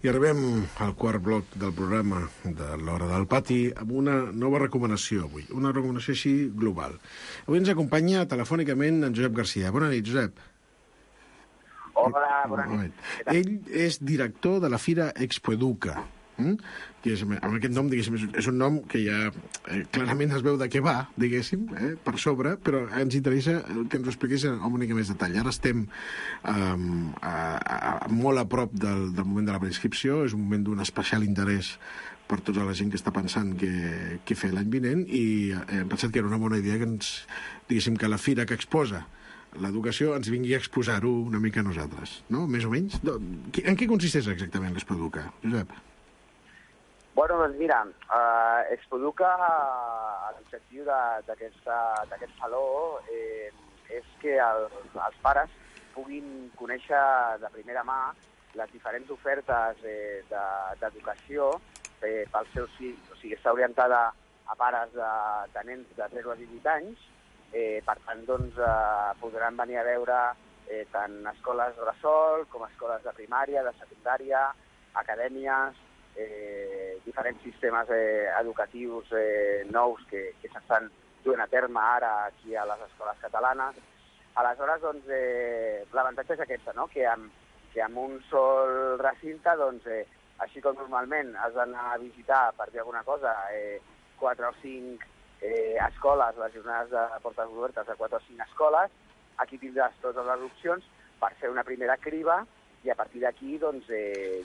I arribem al quart bloc del programa de l'Hora del Pati amb una nova recomanació avui, una recomanació així global. Avui ens acompanya telefònicament en Josep Garcia. Bona nit, Josep. Hola, bona nit. Ell és director de la Fira Expoeduca, que és, amb aquest nom, diguéssim, és un nom que ja clarament es veu de què va, diguéssim, per sobre, però ens interessa que ens ho expliqués amb una mica més detall. Ara estem molt a prop del moment de la preinscripció, és un moment d'un especial interès per tota la gent que està pensant què fer l'any vinent, i hem pensat que era una bona idea que diguéssim, que la fira que exposa l'educació ens vingui a exposar-ho una mica a nosaltres, no? Més o menys? En què consisteix exactament l'Expoeduca, Josep? Bueno, doncs mira, Expoeduca, l'objectiu d'aquest saló és que els pares puguin conèixer de primera mà les diferents ofertes d'educació pels seus fills. O sigui, està orientada a pares de nens de 0 a 18 anys. Per tant, doncs, podran venir a veure tant escoles bressol com escoles de primària, de secundària, acadèmies, diferents sistemes educatius nous que s'estan duent a terme ara aquí a les escoles catalanes. Aleshores, doncs, l'avantatge és aquesta, no? que amb un sol recinte, doncs, així com normalment has d'anar a visitar, per dir alguna cosa, 4 o 5 escoles, les jornades de portes obertes de 4 o 5 escoles, aquí tindràs totes les opcions per fer una primera criba i a partir d'aquí doncs,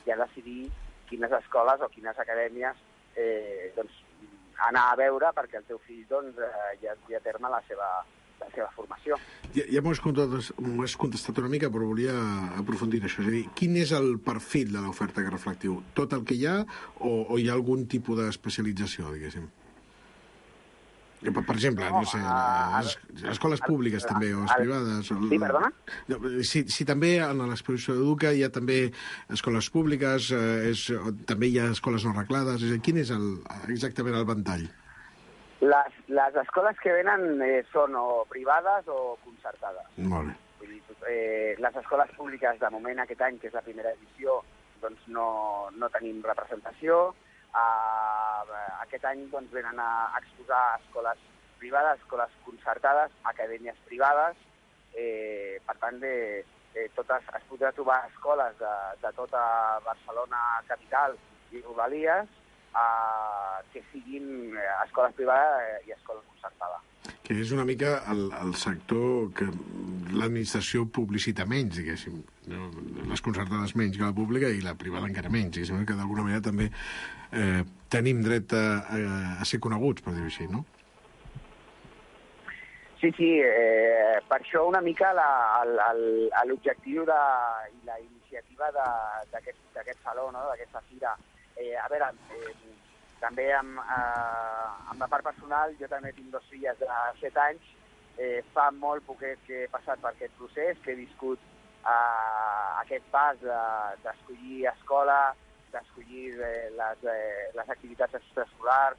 ja decidir quines escoles o quines acadèmies doncs, anar a veure perquè el teu fill doncs, ja dugui a terme la seva formació. Ja m'ho has contestat una mica, però volia aprofundir en això. És a dir, quin és el perfil de l'oferta que reflectiu? Tot el que hi ha o hi ha algun tipus d'especialització, diguéssim? Per exemple, no sé, escoles públiques també, o les privades... Sí, perdona? Si també en l'exposició d'Educa hi ha també escoles públiques, també hi ha escoles no reglades, quin és exactament el ventall? Les escoles que venen són o privades o concertades. Molt bé. Vull dir, les escoles públiques, de moment, aquest any, que és la primera edició, doncs no tenim representació. Aquest any doncs, venen a exposar escoles privades, escoles concertades, acadèmies privades. Per tant, es podrà trobar escoles de tota Barcelona capital i Rodalies que siguin escoles privades i escoles concertades. Que és una mica el sector que l'administració publicita menys, diguéssim. Les concertades menys que la pública i la privada encara menys, diguéssim, que d'alguna manera també tenim dret a ser coneguts, per dir-ho així, no? Sí, per això una mica l'objectiu i la iniciativa d'aquest saló, no? D'aquesta fira. A veure, també amb la part personal, jo també tinc 2 filles de 7 anys, fa molt poquet que he passat per aquest procés, que he viscut aquest pas d'escollir escola, d'escollir les activitats extraescolars,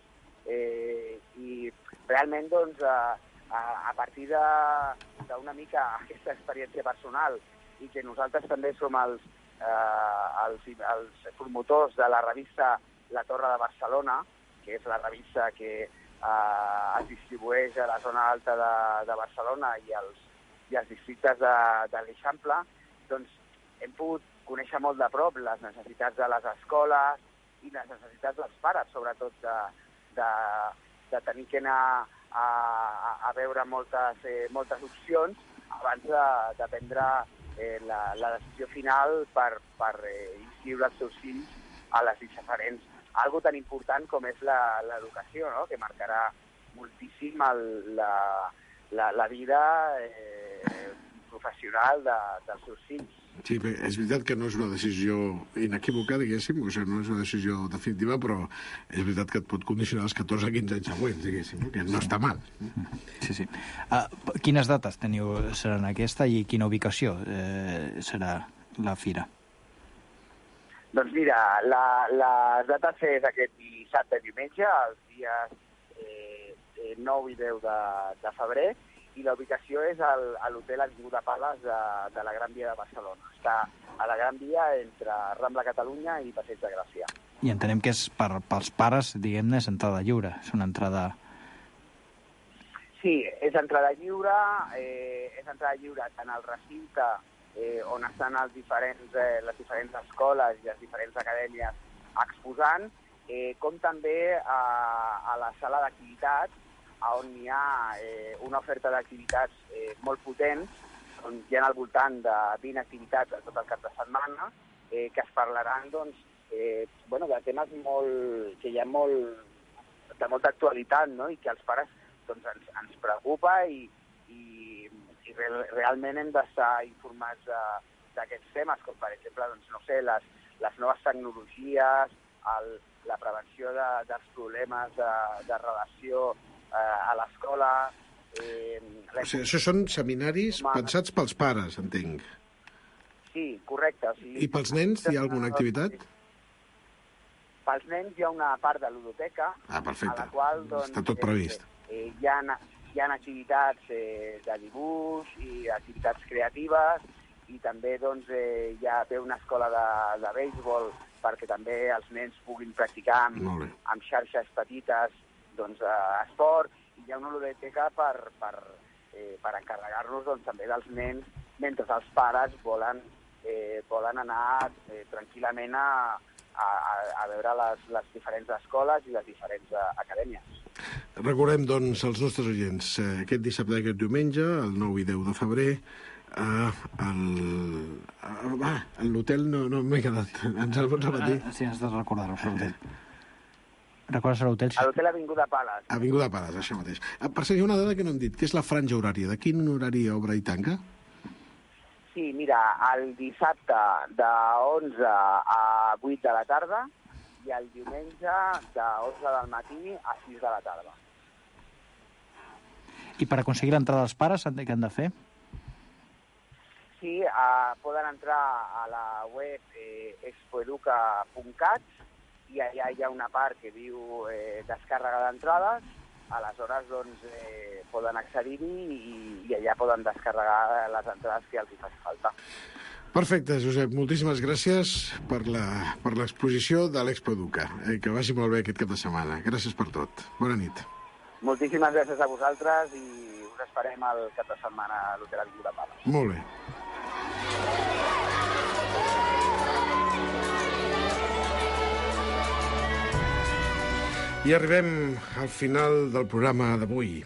i realment, doncs, a partir d'una mica aquesta experiència personal, i que nosaltres també som els promotors de la revista La Torre de Barcelona, que és la revista que es distribueix a la zona alta de Barcelona i els districtes de l'Eixample, doncs hem pogut conèixer molt de prop les necessitats de les escoles i les necessitats dels pares, sobretot de tenir que anar a veure moltes opcions abans de prendre la decisió final per inscriure els seus fills a les diferents. Algo tan important com és l'educació, no? Que marcarà moltíssim la vida professional dels seus fills. Sí, bé, és veritat que no és una decisió inequívoca, diguéssim, o sigui, no és una decisió definitiva, però és veritat que et pot condicionar els 14 a 15 anys següents, diguéssim, que no està mal. Sí. Quines dates seran aquesta i quina ubicació serà la fira? Doncs mira, les dates és aquest dissabte i diumenge, els dies 9 i 10 de febrer, i la ubicació és a l'hotel Avinguda Pales de la Gran Via de Barcelona. Està a la Gran Via entre Rambla Catalunya i Passeig de Gràcia. I entenem que és pels pares, diguem-ne, és entrada lliure. És una entrada... Sí, és entrada lliure tant al recinte on estan les diferents escoles i les diferents acadèmies exposant, com també a la sala d'activitats, on hi ha una oferta d'activitats molt potents, on hi ha al voltant de 20 activitats tot el cap de setmana, que es parlaran de temes que hi ha de molta actualitat, no? I que als pares ens preocupa i realment hem d'estar informats d'aquests temes, com per exemple, les noves tecnologies, la prevenció dels problemes de relació a l'escola. O sigui, això són seminaris pensats pels pares, entenc. Sí, correcte. I pels nens hi ha alguna activitat? Pels nens hi ha una part de ludoteca, perfecte. A la qual està tot previst. Hi ha activitats de dibuix i activitats creatives, i també hi ha una escola de béisbol perquè també els nens puguin practicar amb xarxes petites esport, i hi ha una ludoteca per encarregar-nos també dels nens mentre els pares volen anar tranquil·lament a veure les diferents escoles i les diferents acadèmies. Recordem, doncs, als nostres oients, aquest dissabte i aquest diumenge, el 9 i 10 de febrer, a l'hotel no m'he quedat. Ens el pots repetir? Sí, has de recordar-ho, l'hotel. Recordes l'hotel? A l'hotel Avinguda Pales. Avinguda Pales, això mateix. Per cert, hi ha una dada que no hem dit, que és la franja horària. De quin horari obre i tanca? Sí, mira, el dissabte de 11 a 8 de la tarda i el diumenge de 11 del matí a 6 de la tarda. I per aconseguir l'entrada dels pares, què han de fer? Sí, poden entrar a la web expoeduca.cat i allà hi ha una part que diu descàrrega d'entrades, aleshores poden accedir-hi i allà poden descarregar les entrades que els hi faci falta. Perfecte, Josep, moltíssimes gràcies per l'exposició de l'Expoeduca. Que vagi molt bé aquest cap de setmana. Gràcies per tot. Bona nit. Moltíssimes gràcies a vosaltres i us esperem el cap de setmana a l'Hotel Avinguda Pales. Molt bé. I arribem al final del programa d'avui.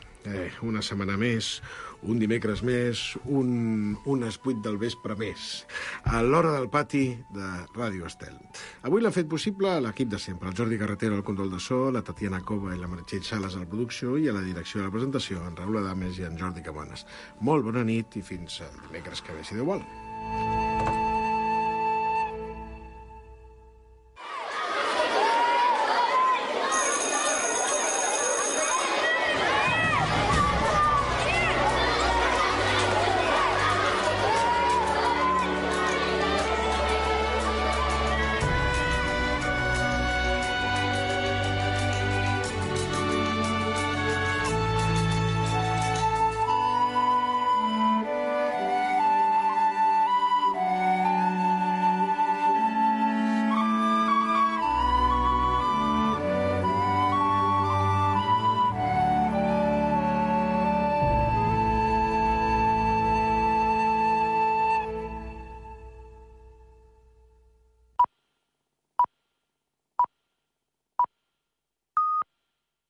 Una setmana més, un dimecres més, unes 8 del vespre més, a l'hora del pati de Ràdio Estel. Avui l'ha fet possible l'equip de sempre, el Jordi Carretero al control de so, la Tatiana Cova i la Meritxell Sales a la producció i a la direcció de la presentació, en Raül Adames i en Jordi Cabanes. Molt bona nit i fins dimecres que ve, si Déu vol.